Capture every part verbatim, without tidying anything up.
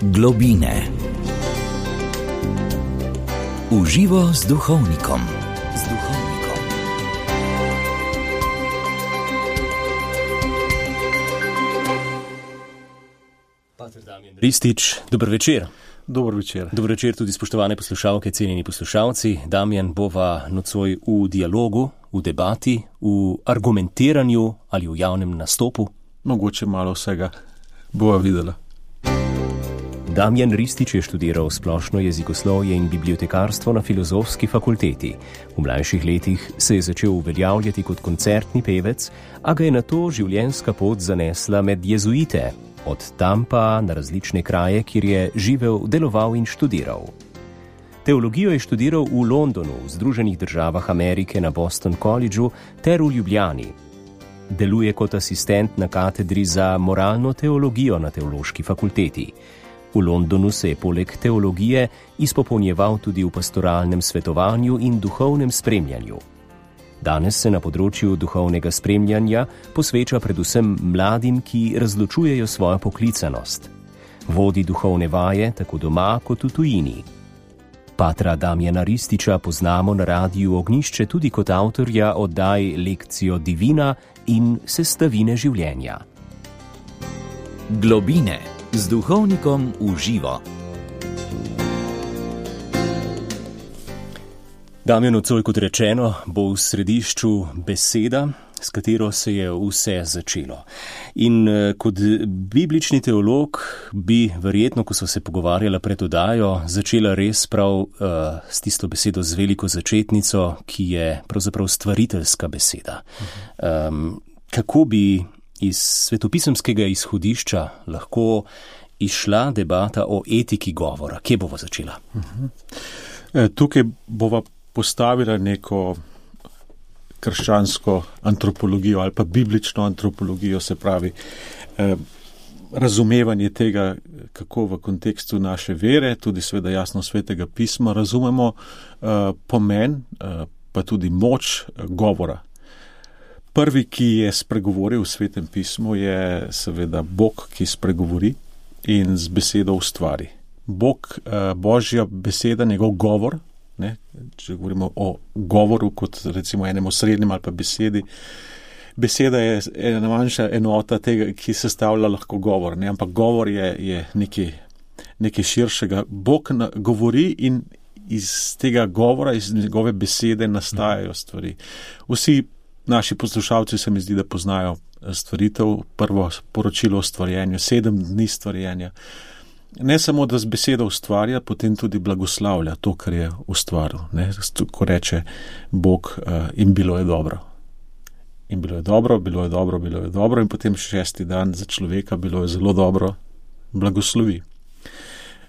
Globine. Uživo z duhovnikom. Z duhovnikom. Pater Damjan Ristič, dober večer. Dober večer. Dober večer tudi spoštovane poslušalke, cenjeni poslušalci. Damjan, bova nocoj v dialogu, v debati, v argumentiranju ali v javnem nastopu. Mogoče malo vsega bova videla. Damjan Ristič je študiral splošno jezikoslovje in bibliotekarstvo na Filozofski fakulteti. V mlajših letih se je začel uveljavljati kot koncertni pevec, a ga je nato življenjska pot zanesla med jezuite, od tam pa na različne kraje, kjer je živel, deloval in študiral. Teologijo je študiral v Londonu, v Združenih državah Amerike na Boston Collegeu ter v Ljubljani. Deluje kot asistent na katedri za moralno teologijo na Teološki fakulteti. V Londonu se je poleg teologije izpopolnjeval tudi v pastoralnem svetovanju in duhovnem spremljanju. Danes se na področju duhovnega spremljanja posveča predvsem mladim, ki razločujejo svojo poklicanost. Vodi duhovne vaje tako doma kot v tujini. Patra Damjana Rističa poznamo na Radiu Ognjišče tudi kot avtorja oddaj Lekcijo divina in Sestavine življenja. Globine. Z duhovnikom v živo. Damjan, nocoj, kot rečeno, bo v središču beseda, s katero se je vse začelo. In kot biblični teolog bi verjetno, ko so se pogovarjala pred oddajo, začela res prav uh, s tisto besedo z veliko začetnico, ki je pravzaprav stvariteljska beseda. Um, kako bi iz svetopisemskega izhodišča lahko išla debata o etiki govora? Kje bova začela? E, tukaj bova postavila neko krščansko antropologijo ali pa biblično antropologijo, se pravi eh, razumevanje tega, kako v kontekstu naše vere, tudi seveda jasno svetega pisma, razumemo eh, pomen, eh, pa tudi moč eh, govora. Prvi, ki je spregovoril v svetem pismu, je seveda Bog, ki spregovori in z besedo ustvari. Bog, eh, Božja beseda, njegov govor, ne, če govorimo o govoru kot recimo enem osrednjem ali pa besedi, beseda je ena manjša enota tega, ki sestavlja lahko govor, ne, ampak govor je, je nekaj, nekaj širšega. Bog na, govori in iz tega govora, iz njegove besede nastajajo stvari. Vsi naši poslušalci se mi zdi, da poznajo stvaritev, prvo poročilo o stvarjenju, sedem dni stvarjenja. Ne samo, da z besedo ustvarja, potem tudi blagoslavlja to, kar je ustvaril. Ne? Ko reče Bog, uh, in bilo je dobro. In bilo je dobro, bilo je dobro, bilo je dobro in potem šesti dan za človeka bilo je zelo dobro, blagoslovi.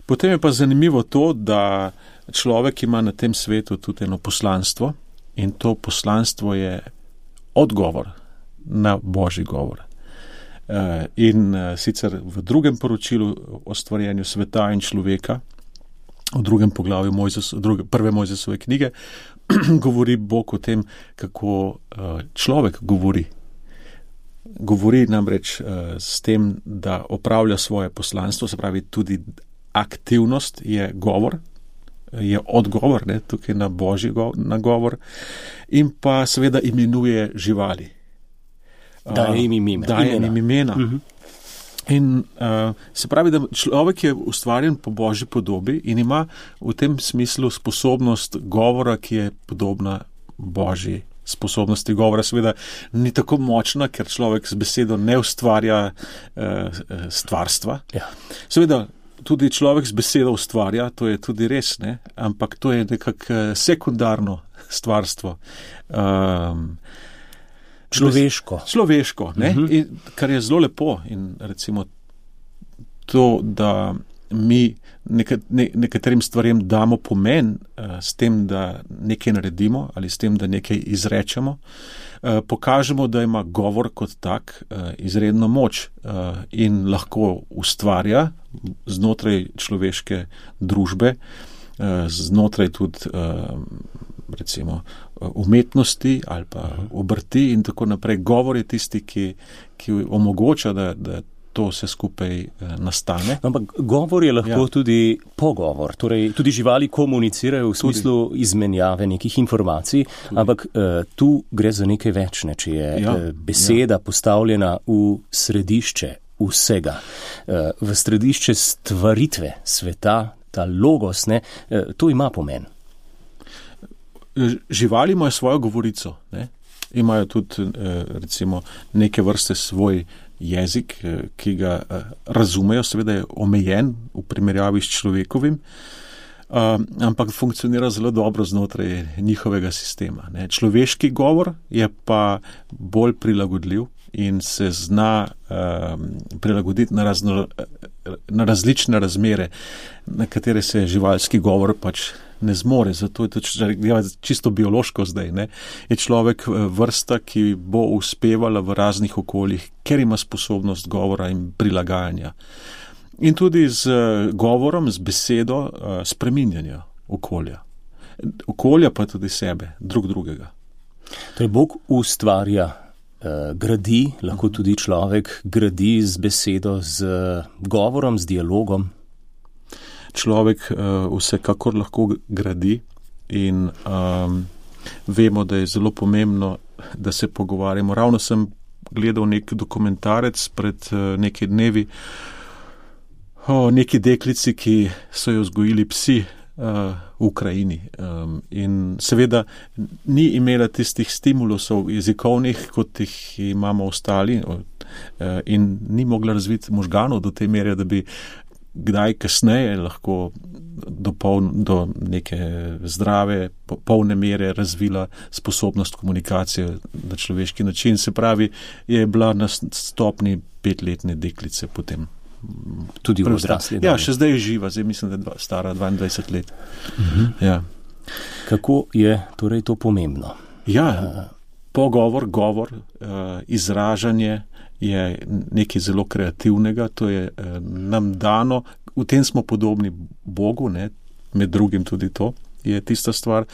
Potem je pa zanimivo to, da človek ima na tem svetu tudi eno poslanstvo in to poslanstvo je odgovor na Božji govor. In sicer v drugem poročilu o stvarjenju sveta in človeka, v drugem poglavju Mojzes, druge, prve Mojzesove knjige, govori Bog o tem, kako človek govori. Govori namreč s tem, da opravlja svoje poslanstvo, se pravi tudi aktivnost je govor, je odgovor, ne, tukaj na Božji nagovor, in pa seveda imenuje živali. Daje jim imena. Daje jim imena. Uh-huh. In uh, se pravi, da človek je ustvarjen po Božji podobi in ima v tem smislu sposobnost govora, ki je podobna Božji sposobnosti govora. Seveda ni tako močna, ker človek z besedo ne ustvarja uh, stvarstva. Ja. Seveda tudi človek z besedo ustvarja, to je tudi res, ne? Ampak to je nekako sekundarno stvarstvo. Um, Človeško. Človeško, ne? Uh-huh. In, kar je zelo lepo in recimo to, da mi nekat, ne, nekaterim stvarem damo pomen uh, s tem, da nekaj naredimo ali s tem, da nekaj izrečemo, uh, pokažemo, da ima govor kot tak uh, izredno moč uh, in lahko ustvarja znotraj človeške družbe, uh, znotraj tudi uh, recimo umetnosti ali pa obrti in tako naprej. Govor je tisti, ki, ki omogoča, da, da to vse skupaj nastane. Ampak govor je lahko ja. tudi pogovor, torej tudi živali komunicirajo v tudi. smislu izmenjave nekih informacij, tudi. Ampak uh, tu gre za nekaj večne, če je ja. uh, beseda ja. postavljena v središče vsega, uh, v središče stvaritve sveta, ta logos, ne, uh, to ima pomen. Živali imajo svojo govorico, ne? Imajo tudi recimo neke vrste svoj jezik, ki ga razumejo, seveda je omejen v primerjavi s človekovim, ampak funkcionira zelo dobro znotraj njihovega sistema. Ne? Človeški govor je pa bolj prilagodljiv in se zna um, prilagoditi na, razno, na različne razmere, na katere se živalski govor pač ne zmore. Zato je to čisto biološko zdaj. Ne? Je človek vrsta, ki bo uspevala v raznih okoljih, ker ima sposobnost govora in prilagajanja. In tudi z govorom, z besedo spreminjanja okolja. Okolja pa tudi sebe, drug drugega. Torej Bog ustvarja, gradi, lahko tudi človek gradi z besedo, z govorom, z dialogom. Človek vsekakor lahko gradi in um, vemo, da je zelo pomembno, da se pogovarjamo. Ravno sem gledal nek dokumentarec pred nekaj dnevi o neki deklici, ki so jo vzgojili psi uh, v Ukrajini. Um, in seveda ni imela tistih stimulusov jezikovnih, kot jih imamo ostali, uh, in ni mogla razviti možganov do te mere, da bi kdaj kasneje lahko do, poln, do neke zdrave, polne mere razvila sposobnost komunikacije na človeški način. Se pravi, je bila na stopni petletne deklice potem. Tudi v odrasli. Ja, še zdaj je živa, zdaj mislim, da je stara dvaindvajset let. Uh-huh. Ja. Kako je torej to pomembno? Ja, pogovor, govor, izražanje je nekaj zelo kreativnega, to je nam dano, v tem smo podobni Bogu, ne, med drugim tudi to je tista stvar.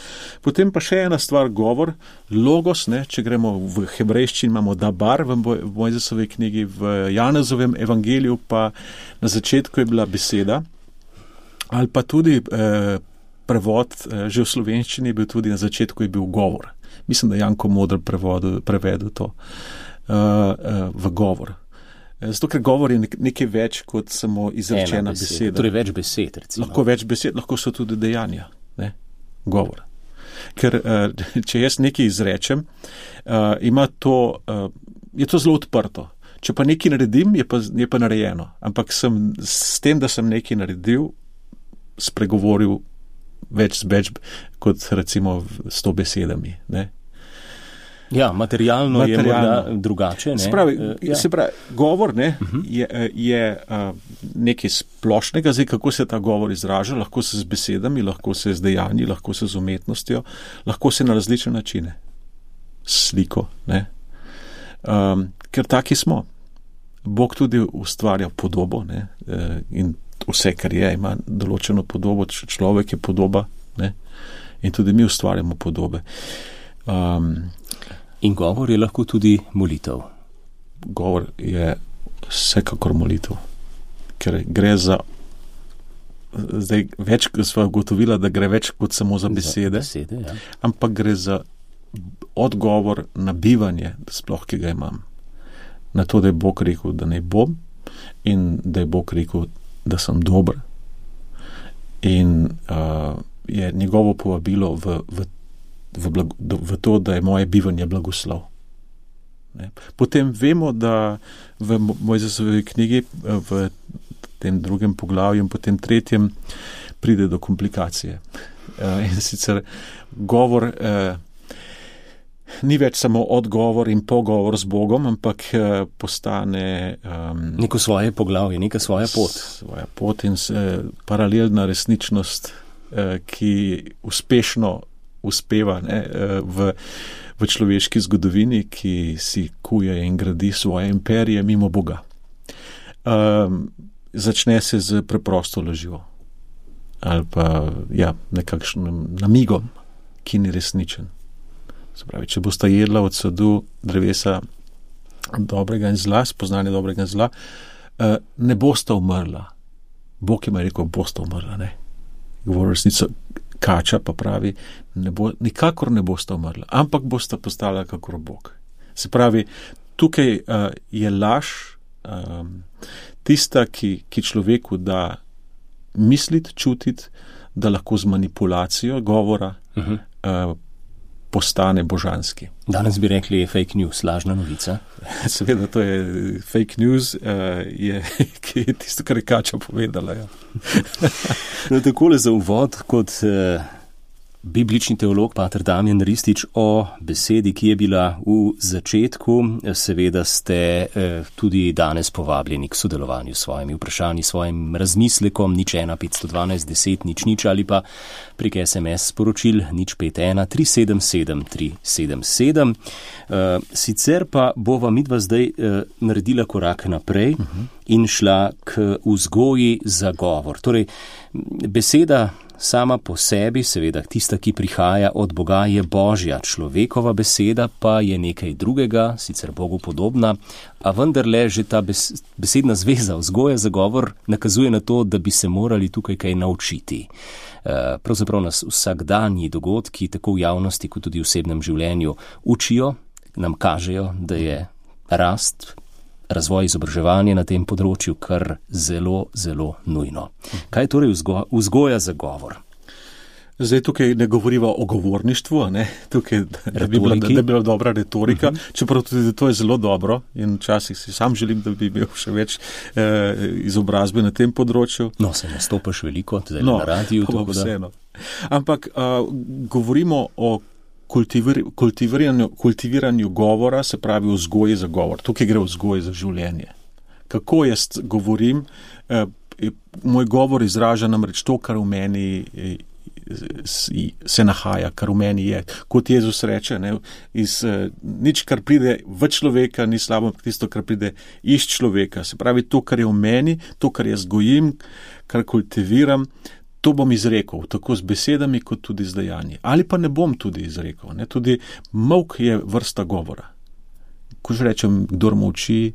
Potem pa še ena stvar, govor, logos, ne, če gremo v hebrejščini, imamo dabar v Mojzesovi knjigi, v Janezovem evangeliju pa na začetku je bila beseda, ali pa tudi eh, prevod, eh, že v slovenščini je bil tudi na začetku je bil govor. Mislim, da Janko Modr prevedel, prevedel to uh, uh, v govor. Zato, ker govor je nekaj več kot samo izrečena beseda. beseda. Torej več besed, recimo. Lahko več besed, lahko so tudi dejanja. Ne? Govor. Ker uh, če jaz nekaj izrečem, uh, ima to, uh, je to zelo odprto. Če pa nekaj naredim, je pa, je pa narejeno. Ampak sem, s tem, da sem nekaj naredil, spregovoril več, več kot recimo s to besedami. Ne? Ja, materialno, materialno je morda drugače. Ne? Se pravi, uh, ja. se pravi govor ne, uh-huh. je, je uh, nekaj splošnega, zdaj kako se ta govor izraža, lahko se z besedami, lahko se z dejanji, lahko se z umetnostjo, lahko se na različne načine. Sliko. Ne? Um, ker taki smo. Bog tudi ustvarja podobo, ne, in vse, kar je, ima določeno podobo, človek je podoba, ne, in tudi mi ustvarjamo podobe. Um, in govor je lahko tudi molitev. Govor je vsekakor molitev, ker gre za, zdaj več, sva ugotovila, da gre več kot samo za besede, za besede ja. Ampak gre za odgovor na bivanje, sploh, ki ga imam. Na to, da je Bog rekel, da ne bom in da je Bog rekel, da sem dober. In uh, je njegovo povabilo v, v, v, blago, v to, da je moje bivanje blagoslov. Ne? Potem vemo, da v Mojzesovi knjigi, v tem drugem poglavju in potem tretjem pride do komplikacije. Uh, in sicer govor uh, ni več samo odgovor in pogovor z Bogom, ampak postane um, neko svoje poglavje, neka svoja pot. Svoja pot in uh, paralelna resničnost, uh, ki uspešno uspeva ne, uh, v, v človeški zgodovini, ki si kuje in gradi svoje imperije mimo Boga. Um, začne se z preprosto lažjo ali pa ja, nekakšnim namigom, ki ni resničen. Se pravi, če boste jedla od sadu drevesa dobrega in zla, spoznanje dobrega in zla, uh, ne bosta umrla. Bog ima rekel, bosta umrla, ne. Govori resnico, kača pa pravi, ne bo, nikakor ne bosta umrla, ampak bosta postala kakor Bog. Se pravi, tukaj uh, je laž um, tista, ki, ki človeku da misliti, čutiti, da lahko z manipulacijo govora uh-huh. uh, postane božanski. Danes bi rekli, je fake news, lažna novica. Seveda, to je fake news, uh, je, ki je tisto, kar je kača povedala. Ja. No, takole za uvod, kot uh, biblični teolog pater Damjan Ristič o besedi, ki je bila v začetku. Seveda ste uh, tudi danes povabljeni k sodelovanju s svojimi vprašanji, svojim razmislekom, nič ena petsto dvanajst deset nič nič ali pa prek es em es sporočil nič pet ena tri sedem sedem tri sedem sedem. Uh, sicer pa bova midva zdaj uh, naredila korak naprej uh-huh. in šla k vzgoji za govor. Torej, beseda sama po sebi, seveda tista, ki prihaja od Boga, je Božja, človekova beseda pa je nekaj drugega, sicer Bogu podobna, a vendarle že ta besedna zveza, vzgoja za govor, nakazuje na to, da bi se morali tukaj kaj naučiti. Pravzaprav nas vsakdanji dogodki, tako v javnosti kot tudi v osebnem življenju, učijo, nam kažejo, da je rast, razvoj izobraževanja na tem področju kar zelo, zelo nujno. Kaj je torej vzgo, vzgoja za govor? Zdaj tukaj ne govoriva o govorništvu, ne? Tukaj da bi, bila, da bi bila dobra retorika, uh-huh. čeprav tudi to je zelo dobro in včasih si sam želim, da bi imel še več eh, izobrazbe na tem področju. No, se nastopaš veliko, zdaj no, na radiju. No, vseeno. Ampak uh, govorimo o kultivir, kultiviranju, kultiviranju govora, se pravi o vzgoji za govor. Tukaj gre o vzgoji za življenje. Kako jaz govorim, eh, moj govor izraža namreč to, kar v meni eh, se nahaja, kar v meni je. Kot Jezus reče, ne, iz, uh, nič, kar pride v človeka, ni slabo, tisto, kar pride iz človeka. Se pravi, to, kar je v meni, to, kar jaz gojim, kar kultiviram, to bom izrekel, tako z besedami, kot tudi z dejanji. Ali pa ne bom tudi izrekel. Ne. Tudi molk je vrsta govora. Ko že rečem, kdor molči,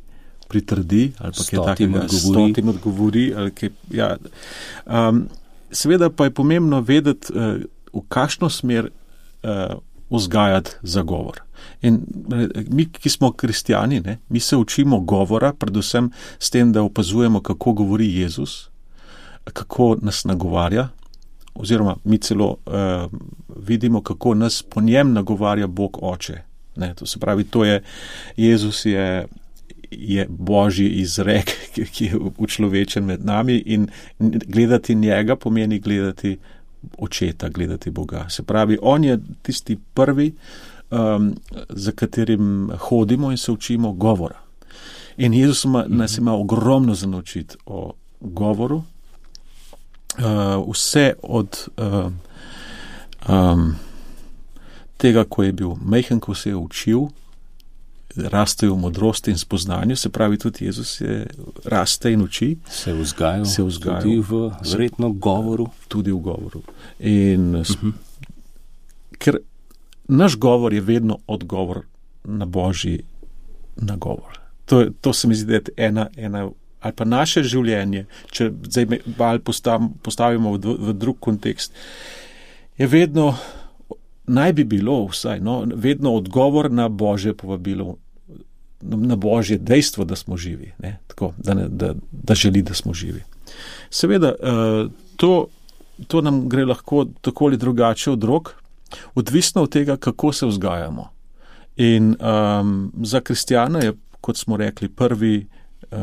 pritrdi, ali pa kaj takega, stotim odgovori, ali kaj, ja. Um, Seveda pa je pomembno vedeti, v kakšno smer vzgajati za govor. In mi, ki smo kristjani, ne, mi se učimo govora, predvsem s tem, da opazujemo, kako govori Jezus, kako nas nagovarja, oziroma mi celo uh, vidimo, kako nas po njem nagovarja Bog Oče. Ne, to se pravi, to je, Jezus je je Božji izrek, ki je učlovečen med nami in gledati njega pomeni gledati očeta, gledati Boga. Se pravi, on je tisti prvi, um, za katerim hodimo in se učimo govora. In Jezus ima, nas ima ogromno za naučiti o govoru. Uh, vse od uh, um, tega, ko je bil majhen, ko se je učil, raste v modrosti in spoznanju, se pravi, tudi Jezus je raste in uči. Se vzgaja, se vzgaja tudi v verjetno govoru. Tudi v govoru. In uh-huh. ker naš govor je vedno odgovor na Božji nagovor. To, to se mi zdi, da je ena, ena, ali pa naše življenje, če zdaj malo postavimo v, v drug kontekst, je vedno naj bi bilo vsaj, no, vedno odgovor na Božje povabilo, na Božje dejstvo, da smo živi, ne, tako, da, ne, da, da želi, da smo živi. Seveda, to, to nam gre lahko tako ali drugače od rok, odvisno od tega, kako se vzgajamo. In um, za kristjana je, kot smo rekli, prvi uh,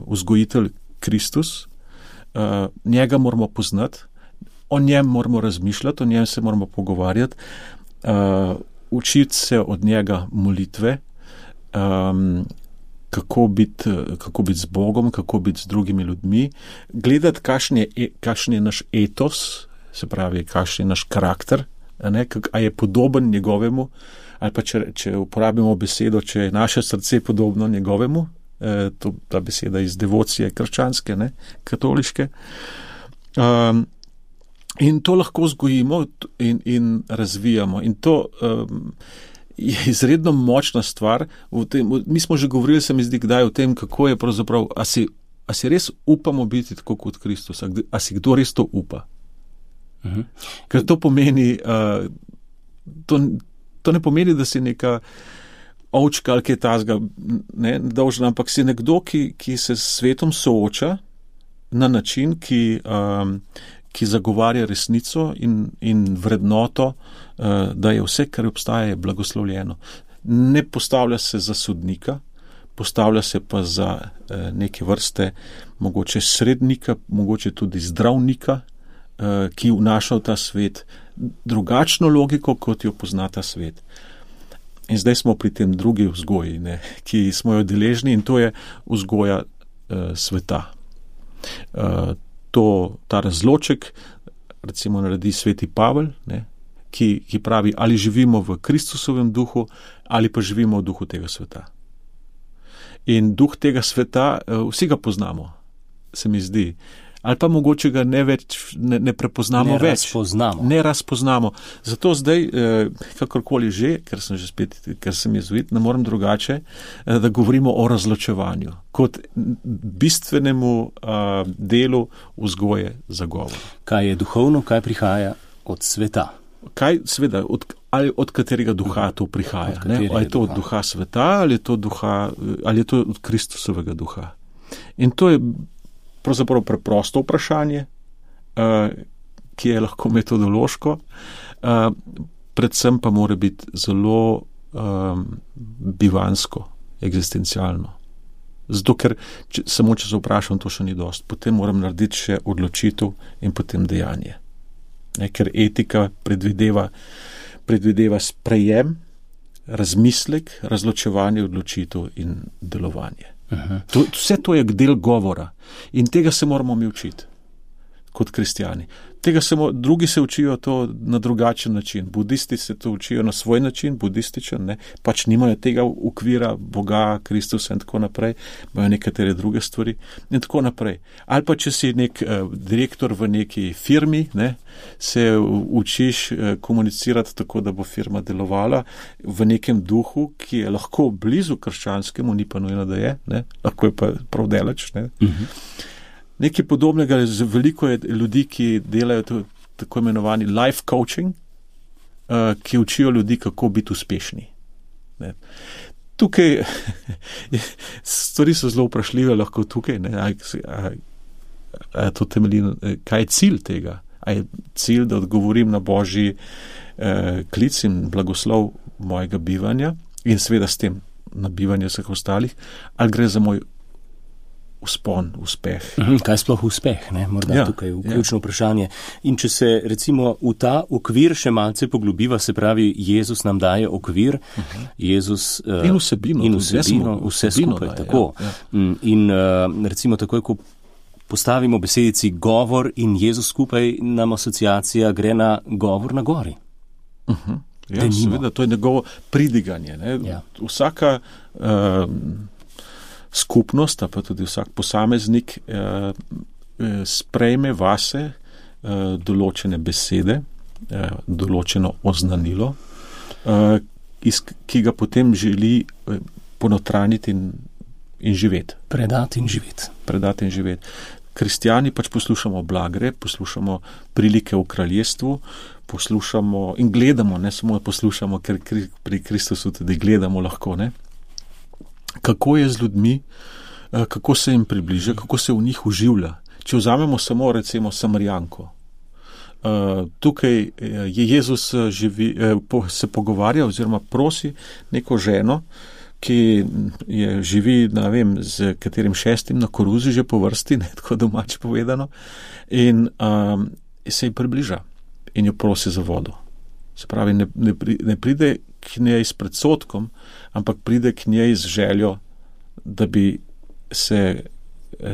vzgojitelj Kristus, uh, njega moramo poznati, o njem moramo razmišljati, o njem se moramo pogovarjati, uh, učiti se od njega molitve, um, kako biti, kako biti z Bogom, kako biti z drugimi ljudmi, gledati, kakšen je, kakšen je naš etos, se pravi, kakšen je naš karakter, a, ne, kak, a je podoben njegovemu, ali pa če, če uporabimo besedo, če je naše srce podobno njegovemu, eh, to, ta beseda iz devocije krščanske, ne, katoliške. Um, In to lahko vzgojimo in, in razvijamo. In to um, je izredno močna stvar. V tem, v, mi smo že govorili, se mi zdi, kdaj o tem, kako je pravzaprav, a si a si res upamo biti tako kot Kristus, a, a si kdo res to upa. Uh-huh. Ker to pomeni, uh, to, to ne pomeni, da si neka ovčka ali kaj tazga, ne, dolžna, ampak si nekdo, ki, ki se s svetom sooča na način, ki, um, ki zagovarja resnico in, in vrednoto, uh, da je vse, kar obstaja, je blagoslovljeno. Ne postavlja se za sodnika, postavlja se pa za uh, neke vrste mogoče srednika, mogoče tudi zdravnika, uh, ki vnaša v ta svet drugačno logiko, kot jo pozna ta svet. In zdaj smo pri tem drugi vzgoji, ne, ki smo jo deležni, in to je vzgoja uh, sveta. Uh, to, ta razloček recimo naredi sveti Pavel, ne, ki, ki pravi, ali živimo v Kristusovem duhu, ali pa živimo v duhu tega sveta. In duh tega sveta, uh, vsi ga poznamo, se mi zdi. Ali pa mogoče ga ne, več, ne, ne prepoznamo ne več. Razpoznamo. Ne razpoznamo. Zato zdaj, eh, kakorkoli že, ker sem že spet, ker sem jezuit, ne morem drugače, eh, da govorimo o razločevanju kot bistvenemu eh, delu vzgoje za govor. Kaj je duhovno, kaj prihaja od sveta? Kaj, seveda, od, ali od katerega duha to prihaja? Ne? Ali je to duha? Od duha sveta, ali je to, duha, ali je to od Kristusovega duha? In to je pravzaprav preprosto vprašanje, uh, ki je lahko metodološko, uh, predvsem pa mora biti zelo um, bivansko, egzistencialno. Zato, ker če, samo če se vprašam, to še ni dost. Potem moram narediti še odločitev in potem dejanje. Ne, ker etika predvideva, predvideva sprejem, razmislek, razločevanje, odločitev in delovanje. To, vse to je del govora in tega se moramo mi učiti kot kristjani. Tega se mo, drugi se učijo to na drugačen način. Budisti se to učijo na svoj način, budističen, ne, pač nimajo tega ukvira Boga, Kristusa in tako naprej, imajo nekatere druge stvari in tako naprej. Ali pa če si nek uh, direktor v neki firmi, ne, se učiš uh, komunicirati tako, da bo firma delovala v nekem duhu, ki je lahko blizu krščanskemu, ni pa nujno, da je, ne, lahko je pa prav daleč, ne. Uh-huh. Nekaj podobnega, veliko je ljudi, ki delajo to, tako imenovani life coaching, uh, ki učijo ljudi, kako biti uspešni. Ne. Tukaj stvari so zelo vprašljive, lahko tukaj, ne, a, a, a to temelji, kaj je cilj tega? A je cilj, da odgovorim na Božji eh, klic in blagoslov mojega bivanja in seveda s tem na bivanje vseh ostalih, ali gre za moj uspon, uspeh. Kaj sploh uspeh, ne? Morda ja, tukaj vključno ja. vprašanje. In če se recimo v ta okvir še malce poglobiva, se pravi, Jezus nam daje okvir, uh-huh. Jezus uh, in vsebino, in vsebino, vse skupaj, daje, tako. Ja, ja. In uh, recimo takoj, ko postavimo besedici govor in Jezus skupaj, nam asociacija gre na govor na gori. Uh-huh. Ja, seveda, to je njegovo pridiganje. Ne? Ja. Vsaka uh, skupnost, pa tudi vsak posameznik eh, sprejme vase eh, določene besede, eh, določeno oznanilo, eh, iz, ki ga potem želi eh, ponotraniti in, in živeti. Predati in živeti. Predati in živeti. Kristjani pač poslušamo blagre, poslušamo prilike v kraljestvu, poslušamo in gledamo, ne samo poslušamo, ker pri Kristusu tudi gledamo lahko, ne. Kako je z ljudmi, kako se jim približa, kako se v njih uživlja. Če vzamemo samo recimo Samarijanko. Tukaj je Jezus živi, se pogovarja oziroma prosi neko ženo, ki je živi, ne vem, z katerim šestim na koruzi že po vrsti, ne, tako domače povedano, in um, se jim približa in jo prosi za vodo. Se pravi, ne, ne, ne pride k njej s predsodkom, ampak pride k njej z željo, da bi se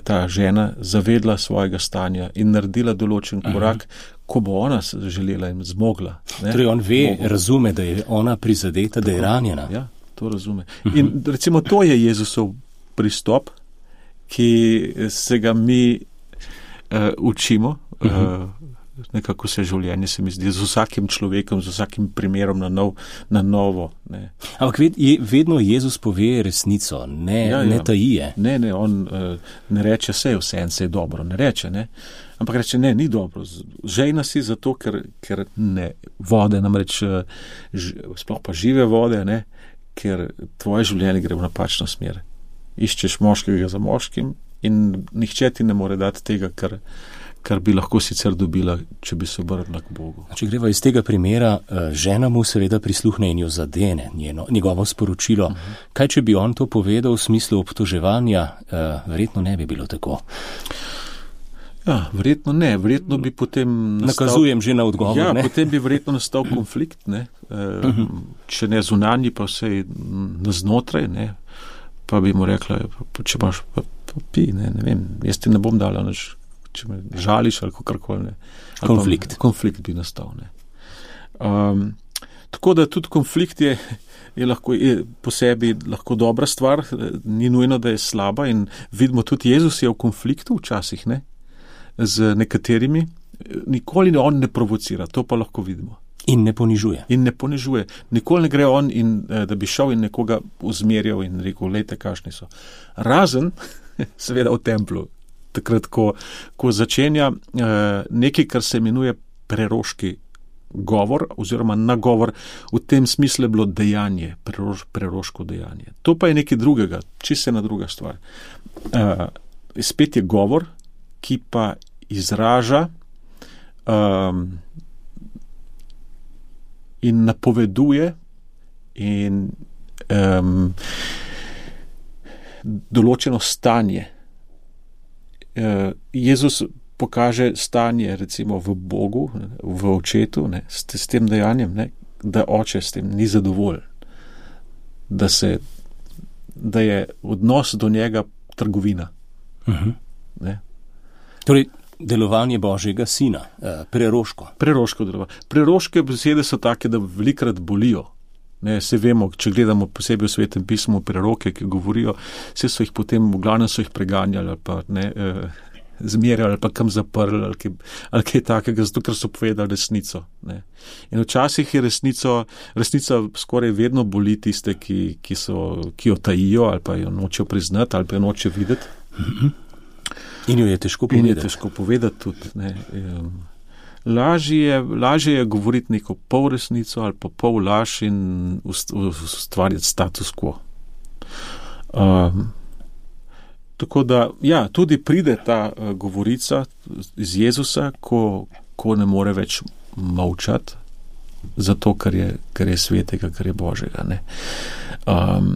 ta žena zavedla svojega stanja in naredila določen korak, uh-huh. ko bo ona želela in zmogla. Ne? Torej on ve, Mogo. razume, da je ona prizadeta, tako, da je ranjena. Ja, to razume. Uh-huh. In recimo to je Jezusov pristop, ki se ga mi uh, učimo, uh-huh. uh, nekako vse življenje, se mi zdi, z vsakim človekom, z vsakim primerom na, nov, na novo. Ne. Ampak ved, je, vedno Jezus pove resnico, ne, ja, ne ja. tajije. Ne, ne, on uh, ne reče, vse je vse en, vse je dobro, ne reče, ne. Ampak reče, ne, ni dobro. Žejna si zato, ker, ker ne, vode, namreč ž, sploh pa žive vode, ne, ker tvoje življenje gre v napačno smer. Iščeš moškega za moškim in nihče ti ne more dati tega, kar kar bi lahko sicer dobila, če bi se obrnila k Bogu. Če greva iz tega primera, žena mu seveda prisluhne in jo zadene, njeno, njegovo sporočilo. Uh-huh. Kaj, če bi on to povedal v smislu obtoževanja, verjetno ne bi bilo tako. Ja, verjetno ne, verjetno bi potem nastal... Nakazujem že na odgovor, ja, ne? Ja, potem bi verjetno nastal konflikt, ne, uh-huh. če ne zunanji, pa vsej naznotraj, ne, pa bi mu rekla, če imaš, pa, pa pi, ne, ne vem, jaz ti ne bom dala nič, če me žališ ali kakorkoli. Konflikt. Konflikt bi nastal. Ne. Um, tako da tudi konflikt je, je, lahko, je po sebi lahko dobra stvar, ni nujno, da je slaba in vidimo tudi Jezus je v konfliktu včasih, ne, z nekaterimi, nikoli on ne provocira, to pa lahko vidimo. In ne ponižuje. In ne ponižuje. Nikoli ne gre on, in, da bi šel in nekoga uzmerjal in rekel, lejte, kakšni so. Razen, seveda v templu, takrat, ko, ko začenja eh, nekaj, kar se imenuje preroški govor oziroma nagovor, v tem smislu je bilo dejanje, preroš, preroško dejanje. To pa je nekaj drugega, čisto ena druga stvar. Eh, spet je govor, ki pa izraža um, in napoveduje in um, določeno stanje. Jezus pokaže stanje recimo v Bogu, v očetu, ne, s, s tem dejanjem, ne, da oče s tem ni zadovoljen, da, se, da je odnos do njega trgovina. Uh-huh. Ne. Torej, delovanje Božjega sina, preroško. Preroško delovanje. Preroške besede so take, da velikrat bolijo. Ne, se vemo, če gledamo posebej v Svetem pismu preroke, ki govorijo, vse so jih potem, v glavnem so jih preganjali ali pa ne, eh, zmerjali ali pa kam zaprli ali kaj, ali kaj takega, zato ker so povedali resnico. Ne. In včasih je resnico, resnica skoraj vedno boli tiste, ki, ki, so, ki jo tajijo ali pa jo nočejo priznati ali pa jo nočejo videti. Mm-hmm. In jo je težko povedati. In je težko povedati tudi. Ne. Um, Lažje je, lažje je govoriti neko pol resnico ali pa pol laž in ustvarjati status quo. Um, tako da, ja, tudi pride ta uh, govorica iz Jezusa, ko, ko ne more več molčati, zato, ker je, ker je svetega, ker je Božjega. Ne. Um,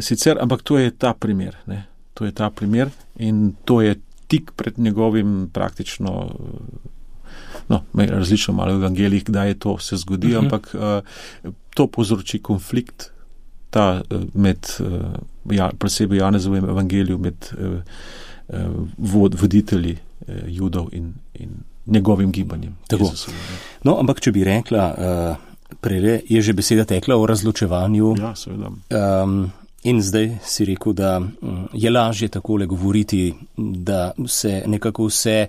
sicer, ampak to je ta primer. Ne. To je ta primer in to je tik pred njegovim praktično. No, različno malo v evangeliji, kdaj je to se zgodi, uh-huh. ampak uh, to povzroči konflikt ta uh, med, uh, ja, posebej Janezovem evangeliju, med uh, uh, vod, voditelji uh, Judov in, in njegovim gibanjem. No, ampak če bi rekla, uh, prej je že beseda tekla o razločevanju. Ja, seveda. Um, in zdaj si rekel, da um, je lažje takole govoriti, da se nekako vse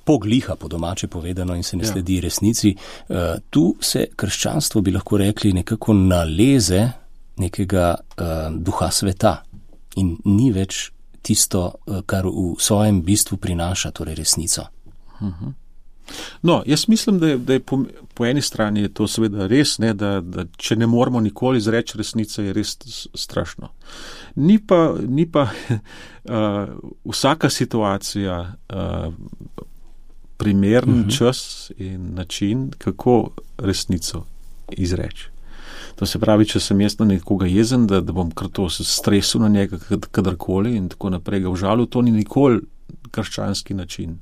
pogliha, po domače povedano, in se ne sledi ja. resnici. Uh, tu se krščanstvo, bi lahko rekli, nekako naleze nekega uh, duha sveta in ni več tisto, uh, kar v svojem bistvu prinaša, torej resnico. Uh-huh. No, jaz mislim, da je, da je po, po eni strani je to seveda res, ne, da, da če ne moramo nikoli izreči resnice, je res strašno. Ni pa, ni pa uh, vsaka situacija uh, primeren uh-huh. čas in način, kako resnico izreči. To se pravi, če sem jaz na nekoga jezen, da, da bom kar to stresil na njega kadarkoli in tako naprej ga užalil, to ni nikoli krščanski način.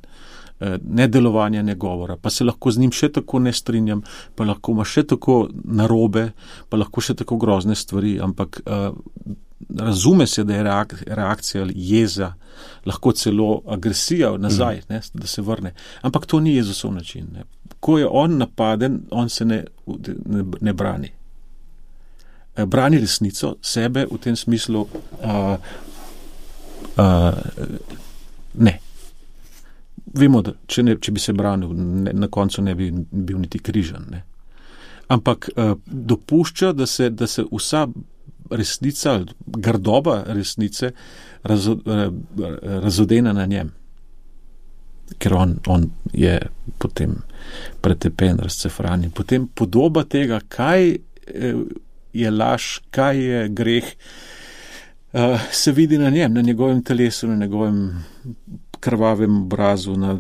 Ne delovanja, ne govora. Pa se lahko z njim še tako ne strinjam, pa lahko ima še tako narobe, pa lahko še tako grozne stvari, ampak uh, razume se, da je reak- reakcija jeza, lahko celo agresija nazaj, mm. ne, da se vrne. Ampak to ni Jezusov način. Ne. Ko je on napaden, on se ne, ne, ne brani. Brani resnico, sebe v tem smislu uh, uh, ne. vemo, da če, ne, če bi se branil, ne, na koncu ne bi bil niti križan. Ne. Ampak uh, dopušča, da se, da se vsa resnica, grdoba resnice razo, razodena na njem. Ker on, on je potem pretepen, razcefran. In potem podoba tega, kaj je laž, kaj je greh, se vidi na njem, na njegovem telesu, na njegovem krvavem obrazu, na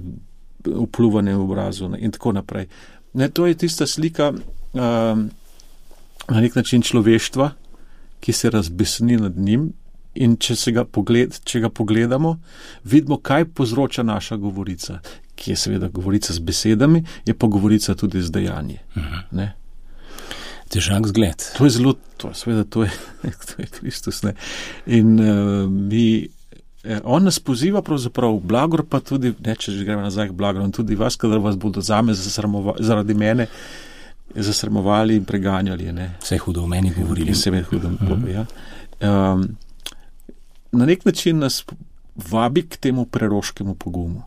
vpluvanem obrazu in tako naprej. Ne, to je tista slika um, na nek način človeštva, ki se razbesni nad njim, in če, se ga, pogled, če ga pogledamo, vidimo, kaj povzroča naša govorica, ki je seveda govorica z besedami, je pa govorica tudi z dejanji. Uh-huh. Težak zgled. To je zelo, to, seveda, to je, to je Kristus. Ne? In uh, mi, eh, on nas poziva pravzaprav v blagor, pa tudi, ne, če že gremo nazaj k blagoru, tudi vas, kadar vas bodo zame zaradi mene zasrmovali in preganjali. Ne? Vse hudo o meni govorili. Vse hudo o meni, ja. Um, na nek način nas vabi k temu preroškemu pogumu.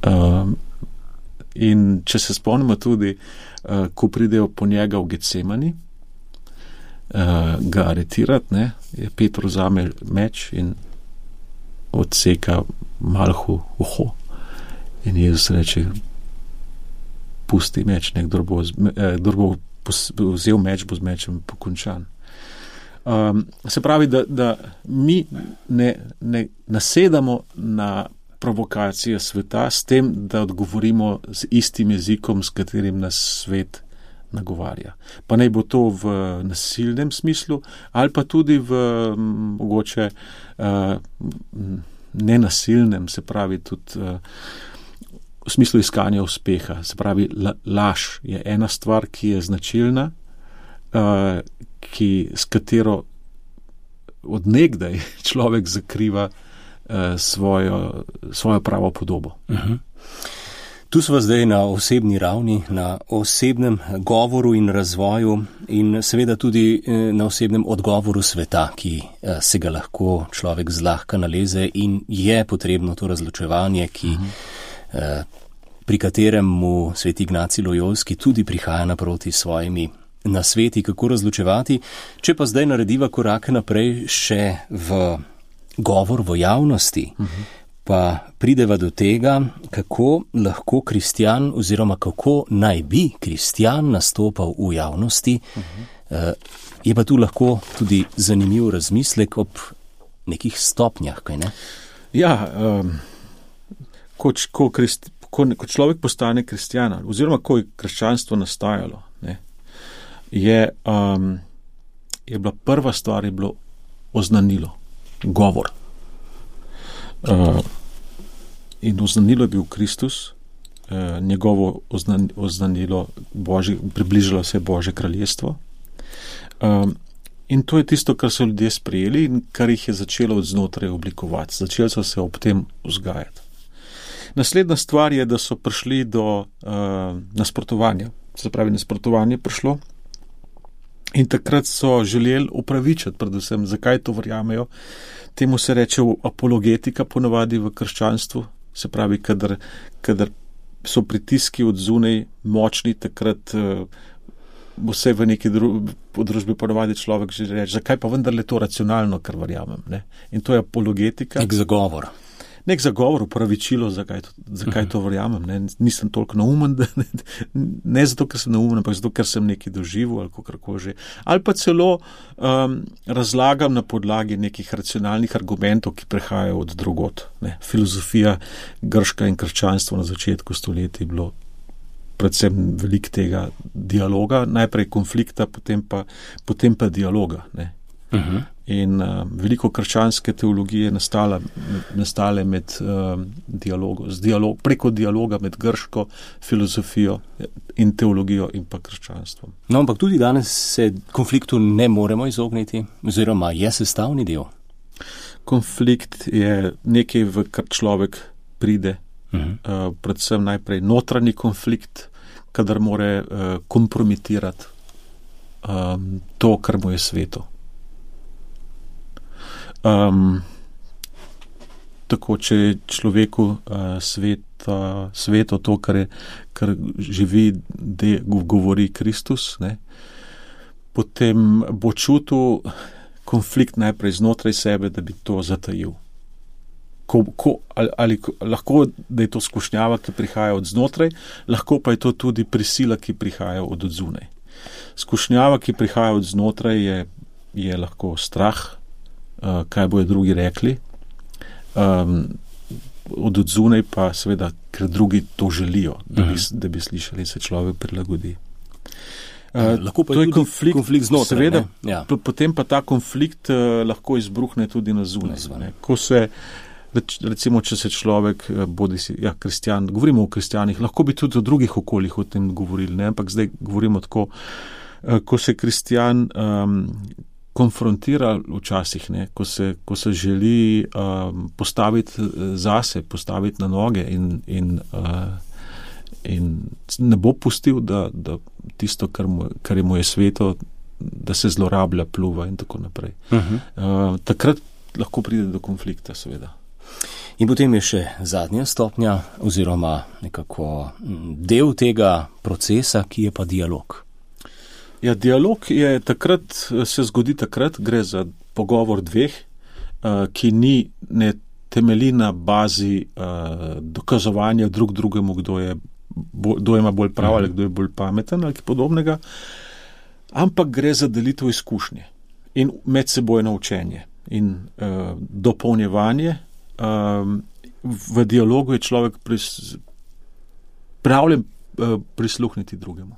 Um, in če se spomnimo tudi, uh, ko pridejo po njega v Getsemani, uh, ga aretirati, ne, je Peter vzame meč in odseka Malhu uho. In Jezus reče, pusti meč, ne, kdor bo, eh, kdor bo vzel meč, bo z mečem pokončan. Um, se pravi, da, da mi ne, ne nasedamo na provokacije sveta s tem, da odgovorimo z istim jezikom, s katerim nas svet nagovarja. Pa naj bo to v nasilnem smislu, ali pa tudi v mogoče uh, nenasilnem, se pravi tudi uh, v smislu iskanja uspeha. Se pravi, la, laž je ena stvar, ki je značilna, uh, ki, s katero od nekdaj človek zakriva uh, svojo, svojo pravo podobo. Uh-huh. Tu smo zdaj na osebni ravni, na osebnem govoru in razvoju in seveda tudi na osebnem odgovoru sveta, ki se ga lahko človek zlahka naleze in je potrebno to razločevanje, ki, uh-huh. pri katerem mu sveti Ignacij Lojolski tudi prihaja naproti svojimi na sveti, kako razločevati. Če pa zdaj narediva korake naprej še v govor v javnosti, uh-huh. pa prideva do tega, kako lahko kristjan oziroma kako naj bi kristjan nastopal v javnosti, uh-huh. je pa tu lahko tudi zanimiv razmislek ob nekih stopnjah, kaj ne? Ja, um, ko, ko, krist, ko, ko človek postane kristjana, oziroma ko je krščanstvo nastajalo, ne, je, um, je bila prva stvar, je bilo oznanilo, govor. Uh, in oznanilo je bil Kristus, uh, njegovo oznan, oznanilo Božje, približalo se je Božje kraljestvo. Um, in to je tisto, kar so ljudje sprejeli in kar jih je začelo od znotraj oblikovati. Začeli so se ob tem vzgajati. Naslednja stvar je, da so prišli do uh, nasprotovanja. Se pravi, nasprotovanje prišlo. In takrat so želeli upravičiti, predvsem, zakaj to verjamejo. Temu se reče apologetika ponovadi v krščanstvu. Se pravi, kadar, kadar so pritiski od zunaj močni, takrat uh, vse v neki dru, družbi ponovadi človek že reče, zakaj pa vendarle to racionalno, kar verjamem. Ne? In to je apologetika. Nek zagovor. Nek zagovor, upravičilo, zakaj, zakaj to verjamem. Ne? Nisem toliko naumen, da, ne, ne zato, ker sem naumen, ampak zato, ker sem nekaj doživel ali kakorkoli že. Ali pa celo um, razlagam na podlagi nekih racionalnih argumentov, ki prihajajo od drugot. Ne? Filozofija grška in krščanstvo na začetku stoletja je bilo predvsem veliko tega dialoga, najprej konflikta, potem pa, potem pa dialoga. Ne? Uh-huh. In uh, veliko krščanske teologije je nastala, nastale med uh, dialogom, z dialog, preko dialoga med grško filozofijo in teologijo in pa krščanstvom. No, ampak tudi danes se konfliktu ne moremo izogniti, oziroma je sestavni del. Konflikt je nekaj, v kar človek pride, uh-huh. uh, predvsem najprej notranji konflikt, kadar more uh, kompromitirati um, to, kar mu je sveto. Um, tako, če je človeku uh, svet, uh, sveto to, kar, je, kar živi, de, govori Kristus, ne, potem bo čutil konflikt najprej znotraj sebe, da bi to zatajil. Ko, ko, ali, ali lahko, da je to skušnjava, ki prihaja od znotraj, lahko pa je to tudi prisila, ki prihaja od odzunaj. Skušnjava, ki prihaja od znotraj, je, je lahko strah, uh, kaj bojo drugi rekli, um, od odzunaj pa seveda, ker drugi to želijo, da bi, da bi slišali, se človek prilagodi. Uh, lahko pa je tudi konflikt, konflikt znotraj. Seveda, ja. Potem pa ta konflikt uh, lahko izbruhne tudi na zunaj. Ko se, recimo, če se človek, bodi si, ja, kristjan, govorimo o kristjanih, lahko bi tudi o drugih okoljih o tem govorili, ne? Ampak zdaj govorimo tako, uh, ko se kristjan um, konfrontira včasih, ne? Ko se, ko se želi um, postaviti zase, postaviti na noge in, in uh, in ne bo pustil, da, da tisto, kar, mu, kar je mu je sveto, da se zlorablja, pluva in tako naprej. Uh-huh. Uh, takrat lahko pride do konflikta, seveda. In potem je še zadnja stopnja, oziroma nekako del tega procesa, ki je pa dialog. Ja, dialog je takrat, se zgodi takrat, gre za pogovor dveh, uh, ki ni, ne temelji na bazi uh, dokazovanja drug drugemu, kdo je kdo ima bolj prav ali kdo je bolj pameten ali podobnega, ampak gre za delitev izkušnje in medsebojno učenje in uh, dopolnjevanje. Um, v dialogu je človek pripravljen uh, prisluhniti drugemu.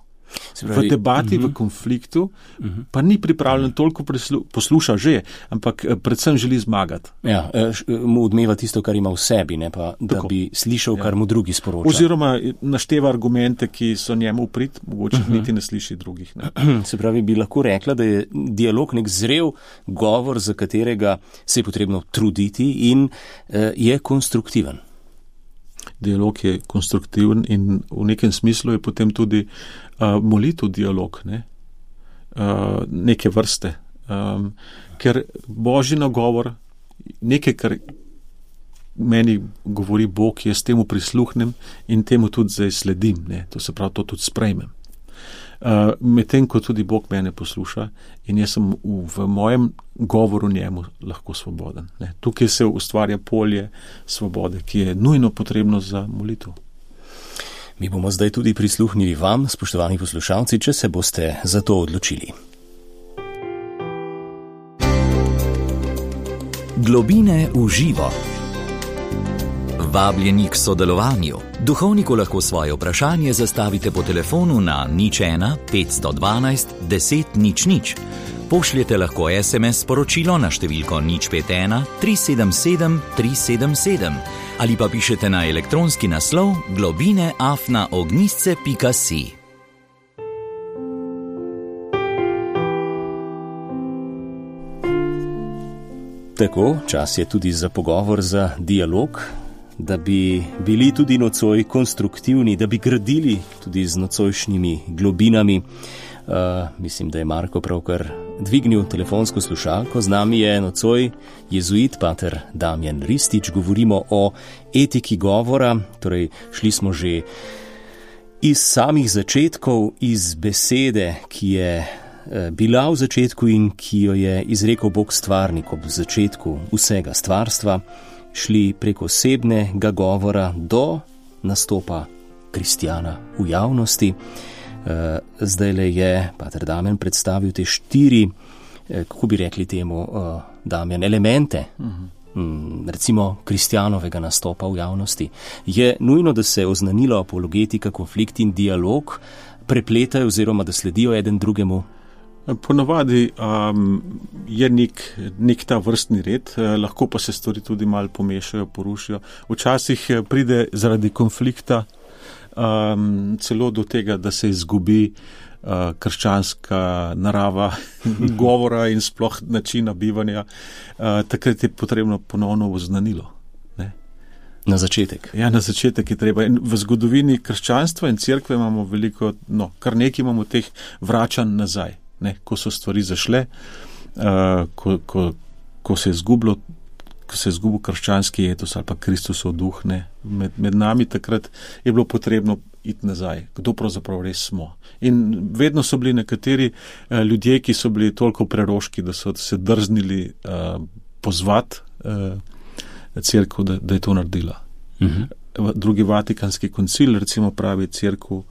Pravi, v debati, uh-huh. v konfliktu, uh-huh. pa ni pripravljen toliko prislu- posluša že, ampak predvsem želi zmagati. Ja, mu odmeva tisto, kar ima v sebi, ne pa, da Tako. bi slišal, kar ja. mu drugi sporoča. Oziroma našteva argumente, ki so njemu v prid, mogoče uh-huh. niti ne sliši drugih. Ne. Se pravi, bi lahko rekla, da je dialog nek zrel govor, za katerega se je potrebno truditi in uh, je konstruktiven. Dialog je konstruktiven in v nekem smislu je potem tudi uh, molitev dialog, ne? uh, neke vrste. Um, ker Božji nagovor, nekaj, kar meni govori Bog, jaz temu prisluhnem in temu tudi zdaj sledim. Ne? To se pravi, to tudi sprejmem. Uh, medtem, ko tudi Bog mene posluša in jaz sem v, v mojem govoru njemu lahko svoboden. Ne. Tukaj se ustvarja polje svobode, ki je nujno potrebno za molitev. Mi bomo zdaj tudi prisluhnili vam, spoštovani poslušalci, če se boste za to odločili. Globine v živo. Vabljeni k sodelovanju. Duhovniku lahko svoje vprašanje zastavite po telefonu na nič ena pet dvanajst deset nič nič. Pošljete lahko es em es sporočilo na številko nič pet ena tri sedem sedem tri sedem sedem ali pa pišete na elektronski naslov globine afna ognjisce pika si. Tako, čas je tudi za pogovor, za dialog, da bi bili tudi nocoj konstruktivni, da bi gradili tudi z nocojšnjimi globinami. Uh, mislim, da je Marko pravkar dvignil telefonsko slušalko. Z nami je nocoj jezuit pater Damjan Ristič. Govorimo o etiki govora, torej šli smo že iz samih začetkov, iz besede, ki je bila v začetku in ki jo je izrekel Bog stvarnik ob začetku vsega stvarstva, šli preko osebnega govora do nastopa kristjana v javnosti. Zdaj le je pater Damjan predstavil te štiri, kako bi rekli temu, Damjan, elemente, uh-huh. recimo kristjanovega nastopa v javnosti. Je nujno, da se oznanilo apologetika, konflikt in dialog prepletajo oziroma da sledijo eden drugemu? Ponavadi um, je nek, nek ta vrstni red, eh, lahko pa se stvari tudi malo pomešajo, porušijo. Včasih pride zaradi konflikta um, celo do tega, da se izgubi uh, krščanska narava govora in sploh načina bivanja. Uh, takrat je potrebno ponovno oznanilo. Ne? Na začetek. Ja, na začetek je treba. In v zgodovini krščanstva in cerkve imamo veliko, no, kar nekaj imamo teh vračanj nazaj. Ne, ko so stvari zašle, uh, ko, ko, ko se je zgubilo, ko se je izgubil krščanski etos ali pa Kristusov duh, ne, med, med nami takrat je bilo potrebno iti nazaj, kdo pravzaprav res smo. In vedno so bili nekateri uh, ljudje, ki so bili toliko preroški, da so se drznili uh, pozvati uh, cerkev, da, da je to naredila. Uh-huh. Drugi Vatikanski koncil recimo pravi cerkev,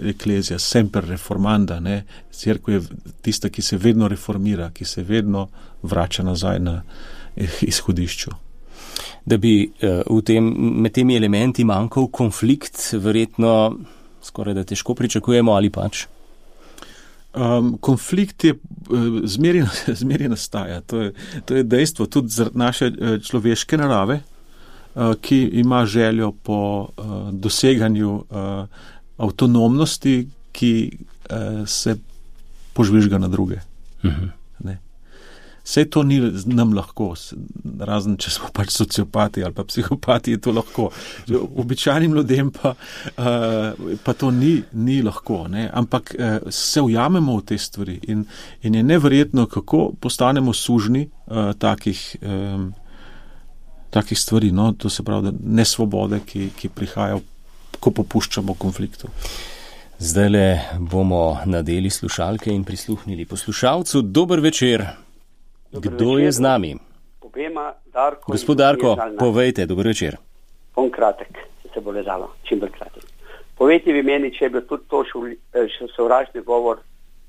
Eklezija semper reformanda, ne, cerkev je tista, ki se vedno reformira, ki se vedno vrača nazaj na izhodišču. Da bi v tem, med temi elementi manjkal konflikt, verjetno skoraj da težko pričakujemo ali pač? Um, konflikt je zmeri, zmeri nastaja, to je, to je dejstvo, tudi zaradi naše človeške narave, uh, ki ima željo po uh, doseganju uh, avtonomnosti, ki uh, se požvižga na druge. Uh-huh. Ne. Sej to ni nam lahko, razen če smo pač sociopati ali pa psihopati, je to lahko. Običajnim ljudem pa, uh, pa to ni, ni lahko, ne. Ampak uh, se ujamemo v te stvari in, in je neverjetno, kako postanemo sužni uh, takih, um, takih stvari, no, to se pravi, da nesvobode, ki, ki prihajajo, ko popuščamo konfliktu. Zdajle bomo nadeli slušalke in prisluhnili poslušalcu. Dober večer. Dober Kdo večer. Je z nami? Obema, Darko. Gospod Darko, povejte, dober večer. Bom kratek, če se bo le dalo, čim bolj kratek. Povejte vi meni, če je bil tudi to še sovražni govor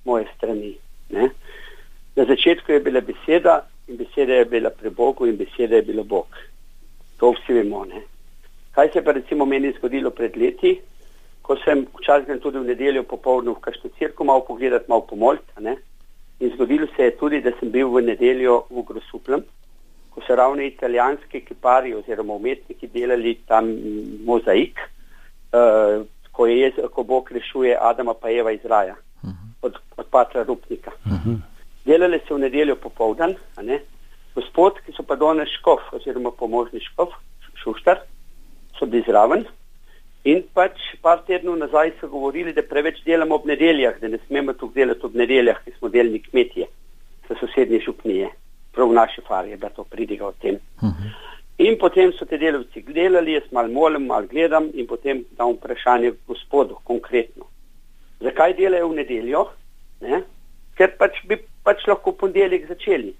moje strani. Ne? Na začetku je bila beseda in beseda je bila pri Bogu in beseda je bila Bog. To vsi vemo, ne? Kaj se pa recimo meni zgodilo pred leti, ko sem včasih tudi v nedeljo popoldne v kakšno cerkev malo pogledati, malo pomoliti, ne? In zgodilo se je tudi, da sem bil v nedeljo v Grosupljem, ko so ravno italijanski kipari oziroma umetniki delali tam mozaik, uh, ko, je, ko Bog rešuje Adama pa Eva iz raja, uh-huh. od, od patra Rupnika. Uh-huh. Delali se v nedeljo popoldan, a ne? Gospod, ki so pa danes škof oziroma pomožni škof, Šuštar, so bili zraven in pač par tednov nazaj so govorili, da preveč delamo ob nedeljah, da ne smemo tukaj delati ob nedeljah, ki smo delni kmetije za sosednje župnije, prav v naši fari je da to pridiga o tem. Uh-huh. In potem so te delavci delali, jaz mal molim, mal gledam in potem dam vprašanje gospodu konkretno. Zakaj delajo v nedeljo? Ne? Ker pač bi pač lahko ponedeljek začeli.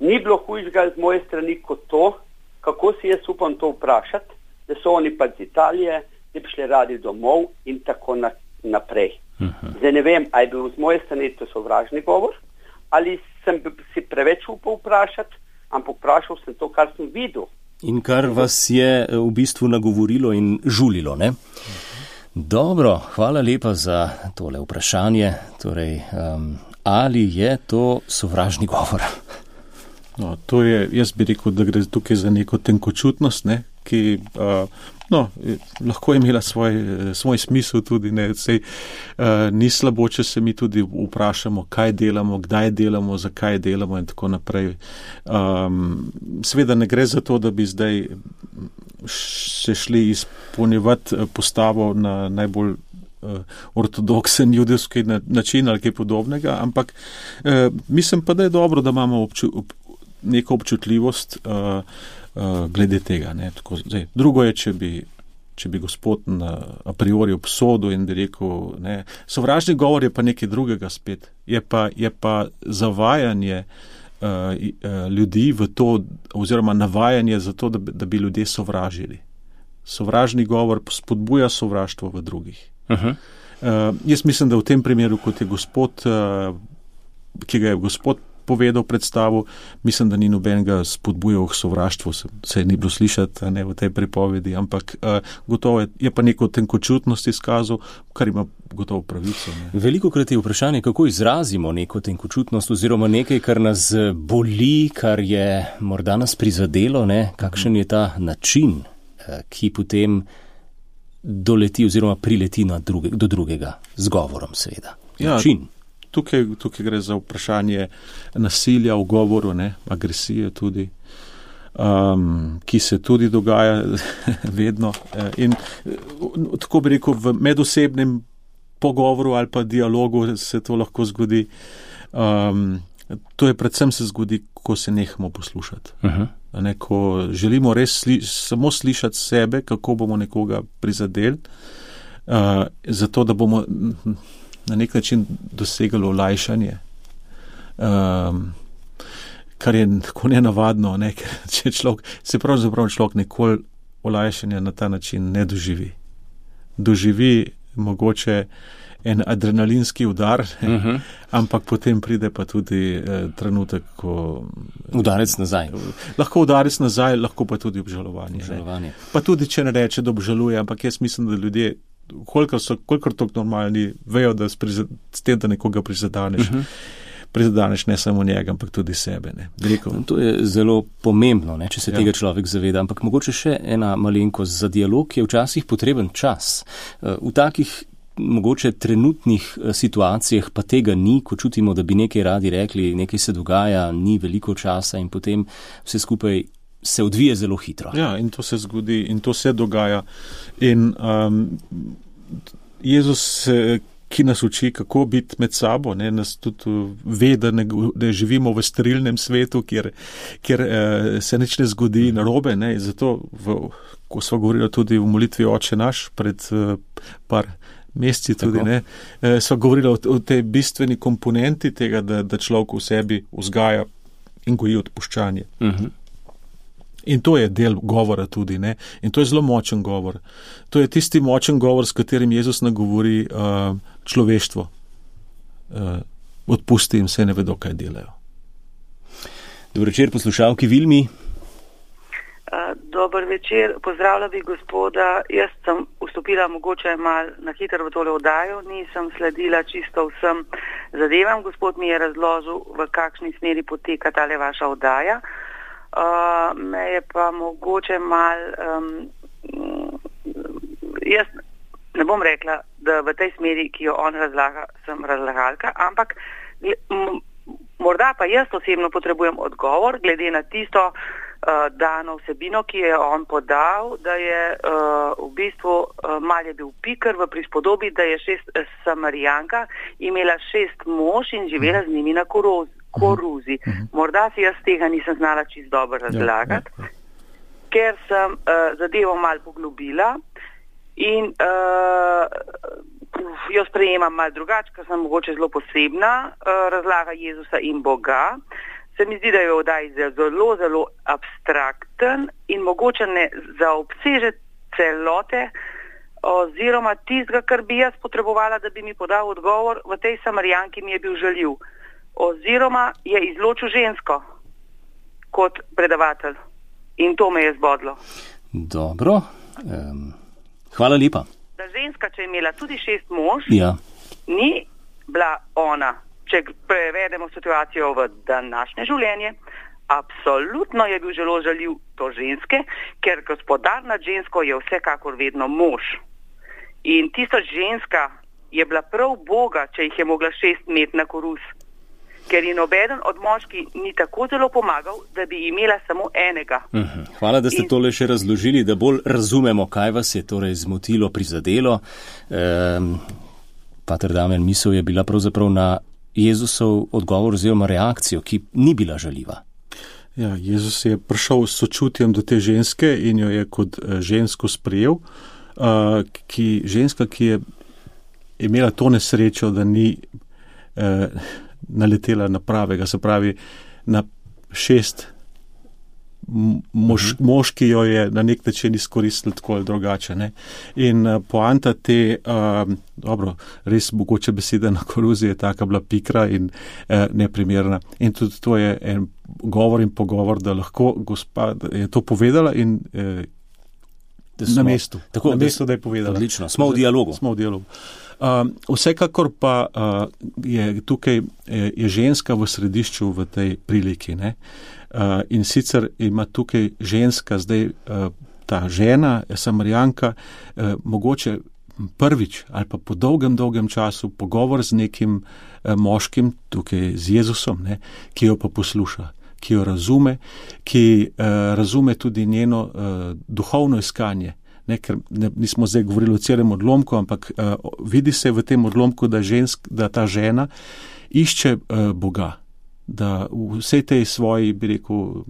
Ni bilo hujšega z moje strani kot to, kako si jaz upam to vprašati, da so oni pa z Italije, da bi šli radi domov in tako na, naprej. Uh-huh. Zdaj ne vem, ali je bil z moje strani to sovražni govor, ali sem si preveč upal vprašati, ampak vprašal sem to, kar sem videl. In kar vas je v bistvu nagovorilo in žulilo, ne? Uh-huh. Dobro, hvala lepa za tole vprašanje. Torej, um, ali je to sovražni govor? No, to je, jaz bi rekel, da gre tukaj za neko tenkočutnost, ne, ki uh, no, lahko je imela svoj, svoj smisel tudi, ne, sej uh, ni slabo, če se mi tudi vprašamo, kaj delamo, kdaj delamo, zakaj delamo in tako naprej. Um, seveda ne gre za to, da bi zdaj se šli izpolnjevati postavo na najbolj ortodoksen judovski način ali kaj podobnega, ampak uh, mislim pa, da je dobro, da imamo obču, ob, neko občutljivost uh, uh, glede tega. Ne? Tako, zdaj, drugo je, če bi, če bi gospod na, a priori obsodil in bi rekel, ne, sovražni govor je pa nekaj drugega spet. Je pa, je pa zavajanje uh, uh, ljudi v to, oziroma navajanje za to, da, da bi ljudje sovražili. Sovražni govor spodbuja sovraštvo v drugih. Uh-huh. Uh, jaz mislim, da v tem primeru, kot je gospod, uh, ki ga je gospod povedal predstavu, mislim, da ni nobenega spodbujal k sovraštvu, se, se ni bilo slišati ne, v tej pripovedi, ampak uh, gotovo je, je pa neko tenkočutnost izkazal, kar ima gotovo pravico. Ne. Velikokrat je vprašanje, kako izrazimo neko tenkočutnost oziroma nekaj, kar nas boli, kar je morda nas prizadelo, ne, kakšen je ta način, ki potem doleti oziroma prileti na druge, do drugega, z govorom seveda. Način. Ja, tukaj, tukaj gre za vprašanje nasilja v govoru, ne, agresije tudi, um, ki se tudi dogaja vedno. In tako bi rekel, v medosebnem pogovoru ali pa dialogu se to lahko zgodi. Um, to je predvsem se zgodi, ko se nehamo poslušati. Uh-huh. ne, ko želimo res sli, samo slišati sebe, kako bomo nekoga prizadeli, uh, zato da bomo na nek način dosegli olajšanje, um, kar je tako nenavadno, ne, ker če človek, se pravzaprav človek nikoli olajšanja na ta način ne doživi. Doživi mogoče en adrenalinski udar, uh-huh. ampak potem pride pa tudi eh, trenutek, ko... Udarec nazaj. Lahko udarec nazaj, lahko pa tudi obžalovanje. obžalovanje. Pa tudi, če ne reče, da obžaluje, ampak jaz mislim, da ljudje, kolikor so, kolikor toliko normalni, vejo, da s, prizad, s tem, da nekoga prizadaneš, uh-huh. prizadaneš ne samo njega, ampak tudi sebe. Ne. To je zelo pomembno, ne, če se ja. tega človek zaveda, ampak mogoče še ena malenkost za dialog, je včasih potreben čas. V takih mogoče trenutnih situacijah pa tega ni, ko čutimo, da bi nekaj radi rekli, nekaj se dogaja, ni veliko časa in potem vse skupaj se odvije zelo hitro. Ja, in to se zgodi in to se dogaja. In um, Jezus, ki nas uči, kako biti med sabo, ne, nas tudi ve, da, ne, da živimo v sterilnem svetu, kjer, kjer eh, se nič ne zgodi narobe, ne, zato, v, ko smo govorili tudi v molitvi Oče naš pred eh, par meseci tudi, ne, eh, smo govorili o, o tej bistveni komponenti tega, da, da človek v sebi vzgaja in goji odpuščanje. Uh-huh. In to je del govora tudi, ne, in to je zelo močen govor. To je tisti močen govor, s katerim Jezus nagovori uh, človeštvo. Uh, odpusti jim, se ne vedo, kaj delajo. Dober večer, poslušalki Vilmi. Dober večer, pozdravlja bi gospoda. Jaz sem vstopila mogoče mal na hitro v tole oddajo, nisem sledila čisto vsem zadevam. Gospod mi je razložil, v kakšni smeri poteka tale vaša oddaja. Uh, me je pa mogoče mal, um, jaz ne bom rekla, da v tej smeri, ki jo on razlaga, sem razlagalka, ampak m- morda pa jaz osebno potrebujem odgovor glede na tisto uh, dano vsebino, ki je on podal, da je uh, v bistvu uh, mal je bil pikr v prispodobi, da je šest uh, Samarijanka imela šest mož in živela z njimi na korozi. koruzi. Morda si jaz tega nisem znala čisto dobro razlagati, ja, ja, ja. ker sem uh, zadevo mal poglobila in uh, jo sprejemam mal drugače, ker sem mogoče zelo posebna, uh, razlaga Jezusa in Boga. Se mi zdi, da je odaj zelo, zelo abstrakten in mogoče ne zaobseže celote oziroma tistega, kar bi jaz potrebovala, da bi mi podal odgovor. V tej Samarijanki mi je bil žaljiv. Oziroma je izločil žensko kot predavatelj. In to me je zbodlo. Dobro. Um, hvala lepa. Da ženska, če je imela tudi šest mož, ja. ni bila ona, če prevedemo situacijo v današnje življenje, absolutno je bil zelo žaljiv to ženske, ker gospodar nad žensko je vsekakor vedno mož. In tista ženska je bila prav Boga, če jih je mogla šest imeti na koruz. Ker je nobeden od moški ni tako zelo pomagal, da bi imela samo enega. Uh-huh. Hvala, da ste In... tole še razložili, da bolj razumemo, kaj vas je torej zmotilo, prizadelo. Um, Pater Damjan, misel je bila pravzaprav na Jezusov odgovor oziroma reakcijo, ki ni bila žaljiva. Ja, Jezus je prišel s sočutjem do te ženske in jo je kot žensko sprejel. Uh, ki, ženska, ki je imela to nesrečo, da ni uh, naletela na pravega, se pravi na šest mož, mož, ki jo je na nek način izkoristili tako ali drugače. Ne? In uh, poanta te, uh, dobro, res mogoče beseda na koruzi je taka bila pikra in uh, neprimerna. In tudi to je en govor in pogovor, da lahko gospa je to povedala in uh, smo, na mestu, tako, na mestu, da je povedala. Odlično, smo v dialogu. Smo v dialogu. Uh, vsekakor pa uh, je tukaj je, je ženska v središču v tej priliki. Ne? Uh, in sicer ima tukaj ženska, zdaj uh, ta žena, Samarijanka, uh, mogoče prvič ali pa po dolgem, dolgem času pogovor z nekim uh, moškim, tukaj z Jezusom, ne? Ki jo pa posluša, ki jo razume, ki uh, razume tudi njeno uh, duhovno iskanje. Ne, ker ne, nismo zdaj govorili o celem odlomku, ampak uh, vidi se v tem odlomku, da, žensk, da ta žena išče uh, Boga. da v vsej tej svoji, bi rekel,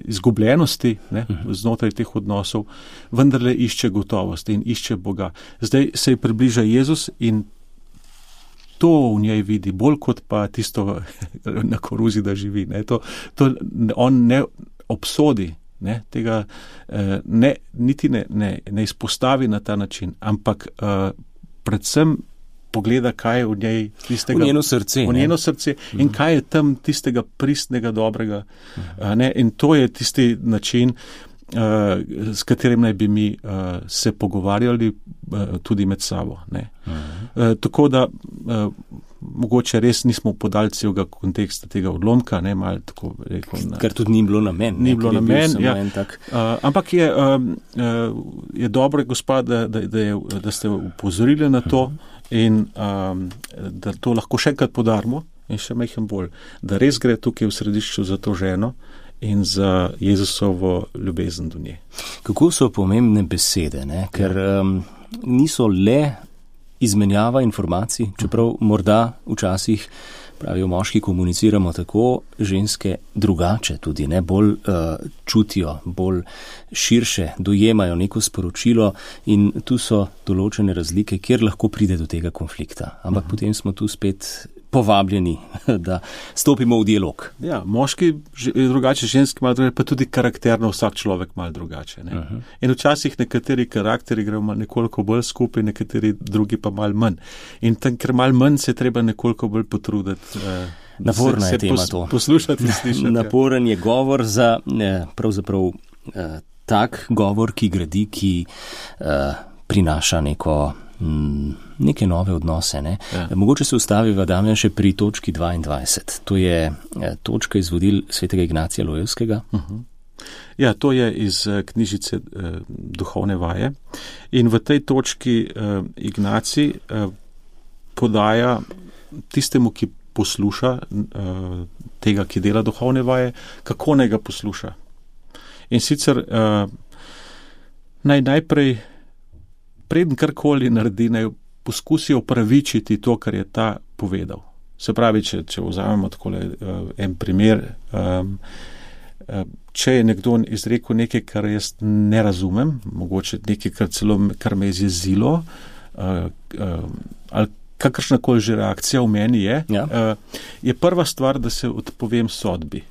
izgubljenosti, ne, znotraj teh odnosov, vendarle išče gotovost in išče Boga. Zdaj se ji približa Jezus in to v njej vidi, bolj kot pa tisto na koruzi, da živi. Ne. To, to on ne obsodi, ne, tega ne, niti ne, ne, ne izpostavi na ta način, ampak uh, predvsem pogleda, kaj je v njej tistega, v njeno srce, v njeno srce in uh-huh. kaj je tam tistega pristnega, dobrega. Uh-huh. Ne, in to je tisti način, uh, s katerim naj bi mi uh, se pogovarjali uh, tudi med sabo. Ne. Uh-huh. Uh, tako da uh, mogoče res nismo podali celega konteksta tega odlomka, ne, malo tako rekel. Na, Kar tudi ni bilo namen. Ni bilo namen, ja. Tak... Uh, ampak je, um, uh, je dobro, gospa, da, da, da, je, da ste upozorili na to, uh-huh. in um, da to lahko še enkrat podarimo in še majhen bolj, da res gre tukaj v središču za to ženo in za Jezusovo ljubezen do nje. Kako so pomembne besede, ne? Ker um, niso le izmenjava informacij, čeprav morda včasih, pravijo moški, komuniciramo tako, ženske drugače tudi, ne, bolj uh, čutijo, bolj širše dojemajo neko sporočilo in tu so določene razlike, kjer lahko pride do tega konflikta. Ampak uh-huh. potem smo tu spet povabljeni, da stopimo v dialog. Ja, moški je drugače, ženski malo drugače, pa tudi karakterno vsak človek malo drugače. Ne? Uh-huh. In včasih nekateri karakteri grejo nekoliko bolj skupaj, nekateri drugi pa malo manj. In tam, ker malo manj, se treba nekoliko bolj potruditi. Eh, Naporna je tema pos, to. Poslušati in slišati. Naporen je govor za eh, pravzaprav eh, tak govor, ki gradi, ki eh, prinaša neko neke nove odnose. Ne? Ja. Mogoče se ustaviva, Damjan, še pri točki dvaindvajset. To je točka iz vodil svetega Ignacija Lojevskega. Uh-huh. Ja, to je iz knjižice eh, Duhovne vaje. In v tej točki eh, Ignacij eh, podaja tistemu, ki posluša eh, tega, ki dela duhovne vaje, kako naj ga posluša. In sicer eh, naj najprej preden karkoli naredi, naj poskusi opravičiti to, kar je ta povedal. Se pravi, če, če vzamemo takole uh, en primer, um, uh, če je nekdo izrekel nekaj, kar jaz ne razumem, mogoče nekaj, kar celo kar me je zjezilo, uh, uh, ali kakršnakoli že reakcija v meni je, ja. uh, je prva stvar, da se odpovem sodbi.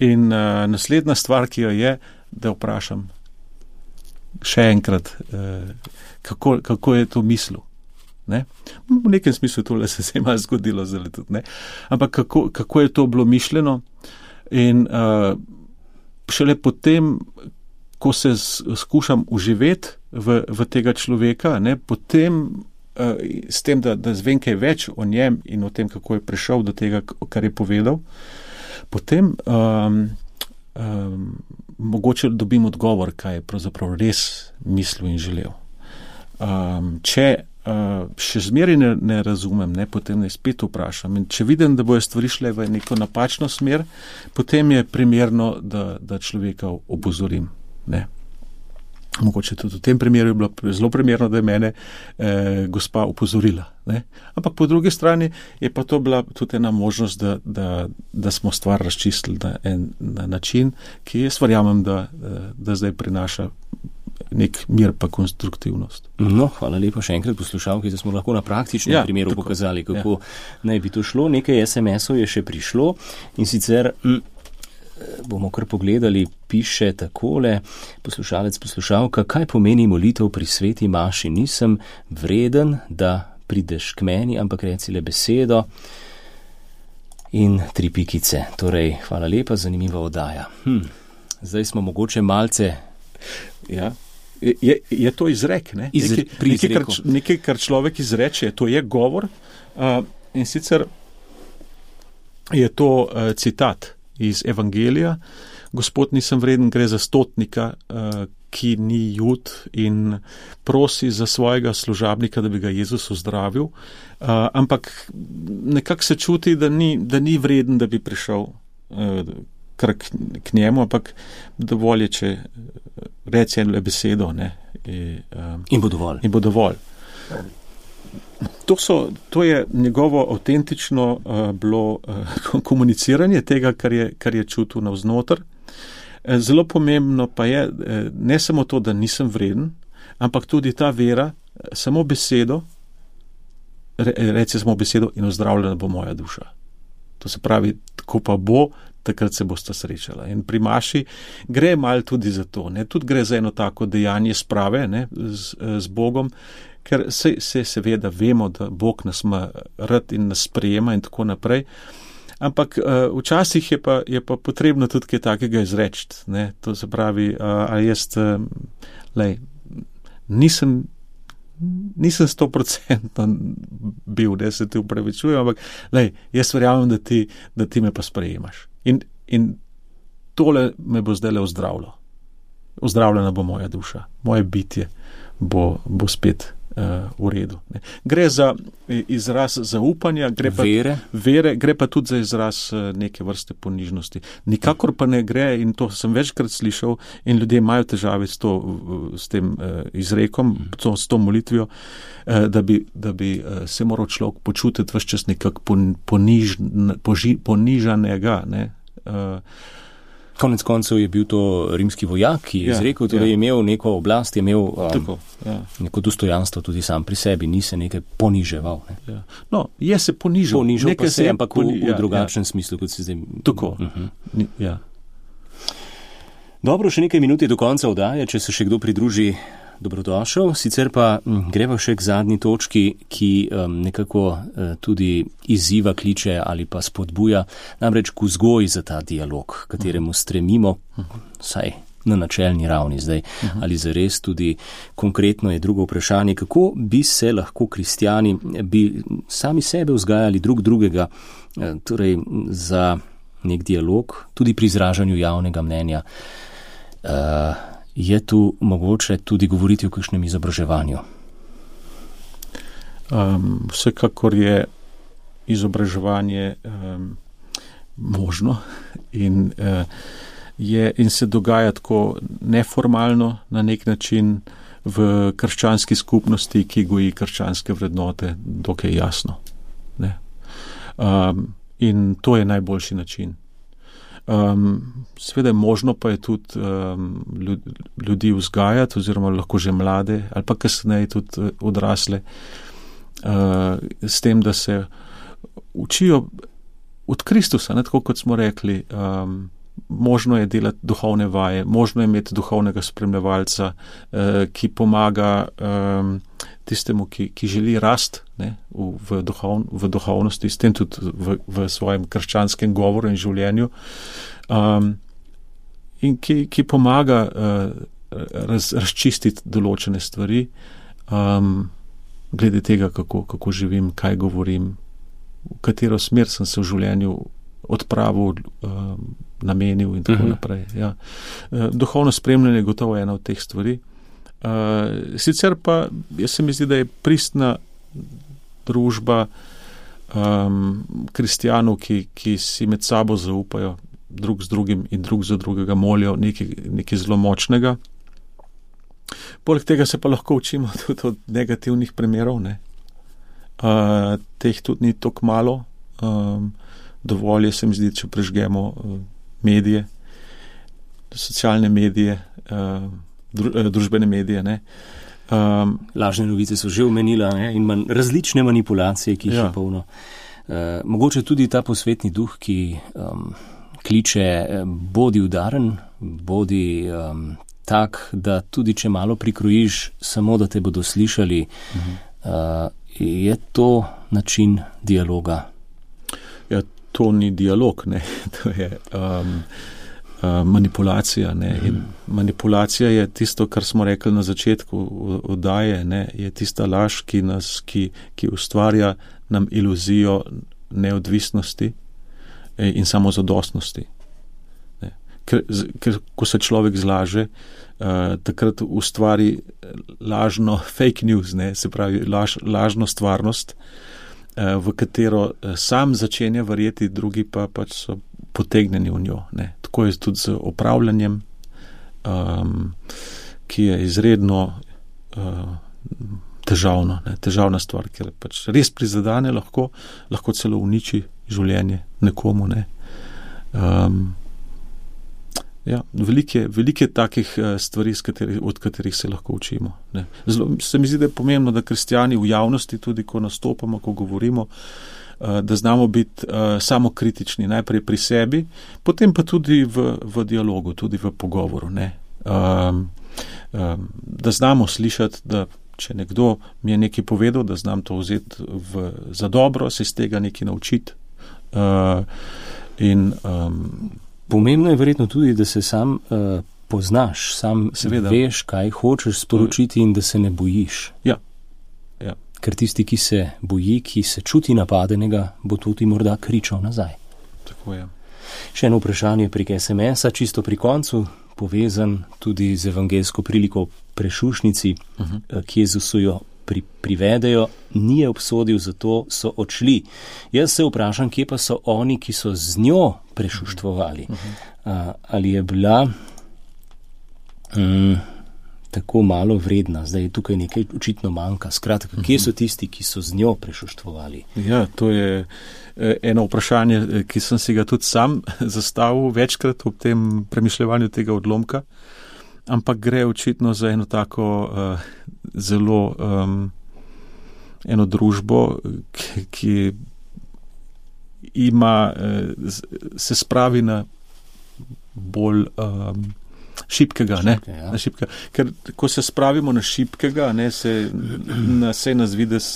In uh, naslednja stvar, ki jo je, da vprašam še enkrat, eh, kako, kako je to mislil. Ne? V nekem smislu tole se je malo zgodilo, zdaj tudi, ne? Ampak kako, kako je to bilo mišljeno in uh, šele potem, ko se skušam uživeti v, v tega človeka, ne? Potem uh, s tem, da, da zvem kaj več o njem in o tem, kako je prišel do tega, kar je povedal, potem um, um, mogoče dobim odgovor, kaj je pravzaprav res mislil in želel. Um, če uh, še zmeraj ne, ne razumem, ne, potem ne spet vprašam. In če vidim, da bojo stvari šle v neko napačno smer, potem je primerno, da, da človeka opozorim. Ne. Mogoče tudi v tem primeru je bilo zelo primerno, da je mene eh, gospa opozorila. Ne? Ampak po drugi strani je pa to bila tudi ena možnost, da, da, da smo stvar razčistili na en na način, ki jaz verjamem, da, da zdaj prinaša nek mir pa konstruktivnost. No, hvala lepa še enkrat poslušalki, da smo lahko na praktičnem ja, primeru tako pokazali, kako ja. Naj bi to šlo. Nekaj es em esov je še prišlo in sicer m, bomo kar pogledali, piše takole, poslušalec, poslušalka, kaj pomeni molitev pri sveti maši? Nisem vreden, da prideš k meni, ampak reci le besedo in tri pikice. Torej, hvala lepa, zanimiva oddaja. Hm, zdaj smo mogoče malce... Ja, je, je to izrek, ne? Iz, nekaj, nekaj, kar, nekaj, kar človek izreče, to je govor uh, in sicer je to uh, citat iz Evangelija. Gospod, nisem vreden, gre za stotnika, uh, ki ni Jud in prosi za svojega služabnika, da bi ga Jezus ozdravil, uh, ampak nekako se čuti, da ni, da ni vreden, da bi prišel uh, kar k, k njemu, ampak dovolj je, če reci eno besedo, ne, in, um, in bo dovolj. In bo dovolj. To, so, to je njegovo avtentično uh, bilo uh, komuniciranje tega, kar je, kar je čutil navznoter. Uh, zelo pomembno pa je uh, ne samo to, da nisem vreden, ampak tudi ta vera, samo besedo, re, reci samo besedo in ozdravljena bo moja duša. To se pravi, tako pa bo, takrat se bosta srečala. In pri Maši gre malo tudi za to, ne? Tudi gre za eno tako dejanje sprave, ne? Z, z Bogom, ker se, se seveda vemo, da Bog nas ima rad in nas sprejema in tako naprej, ampak uh, včasih je pa, je pa potrebno tudi kaj takega izreči, ne? To se pravi, uh, a jaz uh, lej, nisem nisem stoprocentno bil, da se ti upravičujem, ampak lej, jaz verjamem, da ti, da ti me pa sprejemaš. In, in tole me bo zdaj le ozdravilo. Ozdravljena bo moja duša, moje bitje bo, bo spet uh, v redu. Ne. Gre za izraz zaupanja, gre pa, vere. Vere, gre pa tudi za izraz uh, neke vrste ponižnosti. Nikakor pa ne gre, in to sem večkrat slišal, in ljudje imajo težave s, to, s tem uh, izrekom, to, s to molitvijo, uh, da bi, da bi uh, se moral človek počutiti vse čas nekako poniž, poži, ponižanega, ne. Uh, Konec koncev je bil to rimski vojak, ki je izrekel, ja, torej ja. je imel neko oblast, je imel um, Tako, ja. neko dostojanstvo tudi sam pri sebi, ni se nekaj poniževal. Ne. Ja. No, je se ponižal. Ponižal pa se, ampak v, v ja, drugačnem ja. smislu, kot se zdaj... Tako, uh-huh. ja. Dobro, še nekaj minut je do konca oddaje, če se še kdo pridruži, dobrodošel. Sicer pa m, greva še k zadnji točki, ki um, nekako uh, tudi izziva, kliče ali pa spodbuja, namreč k vzgoji za ta dialog, kateremu stremimo, saj na načelni ravni zdaj, ali zares tudi konkretno je drugo vprašanje, kako bi se lahko kristjani, bi sami sebe vzgajali drug drugega, uh, torej za nek dialog, tudi pri izražanju javnega mnenja. Uh, Je tu mogoče tudi govoriti o kakšnem izobraževanju? Um, vsekakor je izobraževanje um, možno in, uh, je, in se dogaja tako neformalno na nek način v krščanski skupnosti, ki goji krščanske vrednote, dokaj jasno. Ne? Um, in to je najboljši način. Um, seveda je možno pa je tudi um, ljudi vzgajati oziroma lahko že mlade ali pa kasneje tudi odrasle uh, s tem, da se učijo od Kristusa, ne, tako kot smo rekli, um, možno je delati duhovne vaje, možno je imeti duhovnega spremljevalca, uh, ki pomaga um, tistemu, ki, ki želi rast, ne, v, v, duhov, v duhovnosti, s tem tudi v, v svojem krščanskem govoru in življenju, um, in ki, ki pomaga uh, raz, razčistiti določene stvari, um, glede tega, kako, kako živim, kaj govorim, v katero smer sem se v življenju odpravil, um, namenil in tako uh-huh. naprej. Ja. Uh, duhovno spremljanje je gotovo ena od teh stvari. Uh, sicer pa, jaz se mi zdi, da je pristna družba um, kristjanov, ki, ki si med sabo zaupajo drug z drugim in drug za drugega molijo nekaj, nekaj zelo močnega. Poleg tega se pa lahko učimo tudi od negativnih primerov, ne. Uh, teh tudi ni toliko malo. Um, dovolj je, se mi zdi, če prežgemo uh, medije, socialne medije, uh, družbene medije. Ne. Um, Lažne novice so že omenila, ne, in man, različne manipulacije, ki jih ja. je polno. Uh, mogoče tudi ta posvetni duh, ki um, kliče, bodi udaren, bodi um, tak, da tudi če malo prikrojiš, samo da te bodo slišali, uh-huh. uh, je to način dialoga? Ja, to ni dialog, ne. To je um, Uh, manipulacija. Ne? In manipulacija je tisto, kar smo rekli na začetku oddaje, ne? Je tista laž, ki nas, ki, ki ustvarja nam iluzijo neodvisnosti in samozadostnosti. Ne? Ker, ker ko se človek zlaže, uh, takrat ustvari lažno fake news, ne? Se pravi laž, lažno stvarnost, uh, v katero sam začenja verjeti, drugi pa pač so potegnjeni v njo. Ne. Tako je tudi z opravljanjem, um, ki je izredno uh, težavno, ne, težavna stvar, ker pač res prizadane lahko, lahko celo uniči življenje nekomu. Ne. Um, ja, velike, velike takih stvari, kateri, od katerih se lahko učimo. Ne. Zelo, se mi zdi, da je pomembno, da kristjani v javnosti, tudi ko nastopamo, ko govorimo, da znamo biti uh, samokritični, najprej pri sebi, potem pa tudi v, v dialogu, tudi v pogovoru. Ne. Um, um, da znamo slišati, da če nekdo mi je nekaj povedal, da znam to vzeti v, za dobro, se iz tega nekaj naučiti. Uh, in, um, Pomembno je verjetno tudi, da se sam uh, poznaš, sam seveda veš, kaj hočeš sporočiti in da se ne bojiš. Ja. Ja. Ker tisti, ki se boji, ki se čuti napadenega, bo tudi morda kričal nazaj. Tako je. Še eno vprašanje prek es em es-a, čisto pri koncu, povezan tudi z evangelsko priliko prešušnici, uh-huh. ki Jezusu jo pri, privedejo, ni je obsodil, zato so odšli. Jaz se vprašam, kje pa so oni, ki so z njo prešuštvovali. Uh-huh. A, ali je bila um, tako malo vredna, zdaj je tukaj nekaj očitno manjka. Skratka, kje so tisti, ki so z njo prešuštvovali? Ja, to je eno vprašanje, ki sem si ga tudi sam zastavil večkrat ob tem premišljevanju tega odlomka, ampak gre očitno za eno tako uh, zelo um, eno družbo, ki, ki ima, uh, se spravi na bolj um, šibkega, ne? Šibke, ja. Na šibkega. Ker ko se spravimo na šibkega, ne, se na vse nas vides,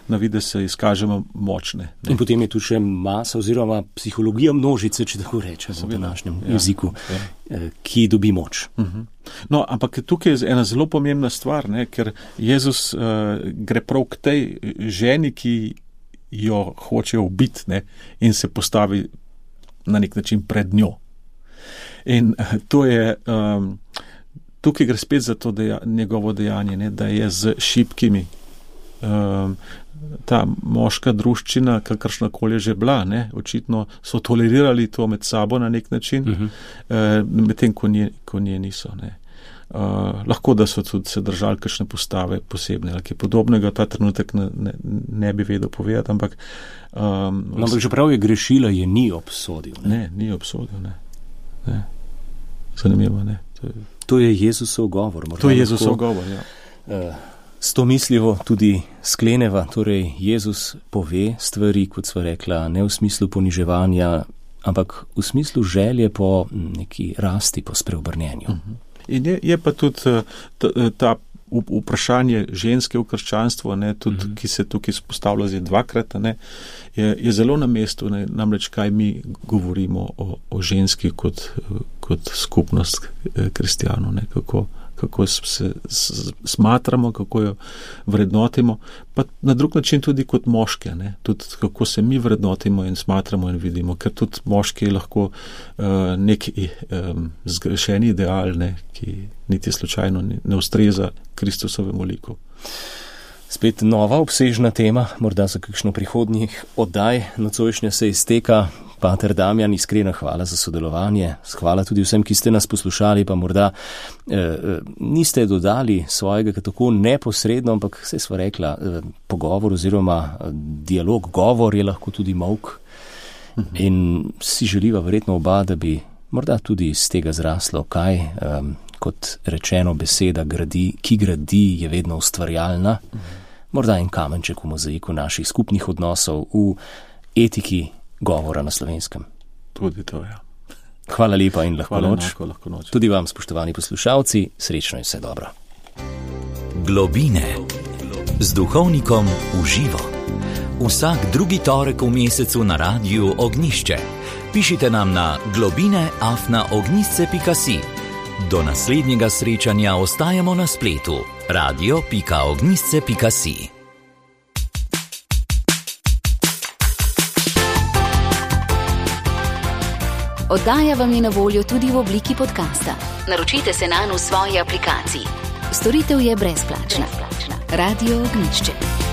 na vides se izkažemo močne. Ne? In potem je tu še masa oziroma psihologija množice, če tako rečemo v današnjem ja, jeziku, ja. ki dobi moč. Uh-huh. No, ampak tukaj je ena zelo pomembna stvar, ne, ker Jezus uh, gre prav k tej ženi, ki jo hoče ubiti, ne, in se postavi na nek način pred njo. In to je, um, tukaj gre spet za to deja, njegovo dejanje, ne, da je z šibkimi um, ta moška druščina, kakršna koli že bila, ne, očitno so tolerirali to med sabo na nek način, uh-huh. uh, medtem ko nje, ko nje niso. Ne. Uh, lahko, da so tudi se držali kakšne postave posebne, ali kaj podobnega, ta trenutek ne, ne, ne bi vedel povedati, ampak... Um, no, ampak že prav je grešila, je ni obsodil. Ne, ne ni obsodil, ne. ne. Zanimivo, ne. To je, to je Jezusov govor. To je Jezusov govor, ja. Uh, s to mislivo tudi skleneva, torej Jezus pove stvari, kot sva rekla, ne v smislu poniževanja, ampak v smislu želje po neki rasti, po spreobrnenju. Uh-huh. In je, je pa tudi ta, ta vprašanje ženske v krščanstvu, ne, tudi, uh-huh. ki se tukaj spostavlja zdaj dvakrat, ne, je, je zelo na mestu, ne, namreč kaj mi govorimo o, o ženski kot, kot skupnost kristjanov, ne, kako, kako se smatramo, kako jo vrednotimo, pa na drug način tudi kot moške, ne, tudi kako se mi vrednotimo in smatramo in vidimo, ker tudi moški je lahko uh, nek um, zgrešeni ideal, ne, ki niti slučajno ne ustreza Kristusovemu liku. Spet nova obsežna tema, morda za kakšno prihodnjih oddaj. Nocojšnja se izteka. Pater Damjan, iskrena hvala za sodelovanje. Hvala tudi vsem, ki ste nas poslušali, pa morda eh, niste dodali svojega tako neposredno, ampak vse sva rekla, eh, pogovor oziroma dialog, govor je lahko tudi molk. Mhm. In si želiva verjetno oba, da bi morda tudi iz tega zraslo kaj, eh, kot rečeno beseda, gradi, ki gradi, je vedno ustvarjalna. Mhm. Morda en kamenček v mozaiku naših skupnih odnosov v etiki govora na Slovenskem. Tudi to, ja. Hvala lepa in lahko noč. Enako, lahko noč. Tudi vam, spoštovani poslušalci, srečno in vse dobro. Globine z duhovnikom v živo. Vsak drugi torek v mesecu na Radiu Ognjišče. Pišite nam na globine afna ognjišče pika si. Do naslednjega srečanja ostajamo na spletu radio pika ognjišče pika si. Oddaja vam je na voljo tudi v obliki podcasta. Naročite se nanj v svoji aplikaciji. Storitev je brezplačna. Radio Ognjišče.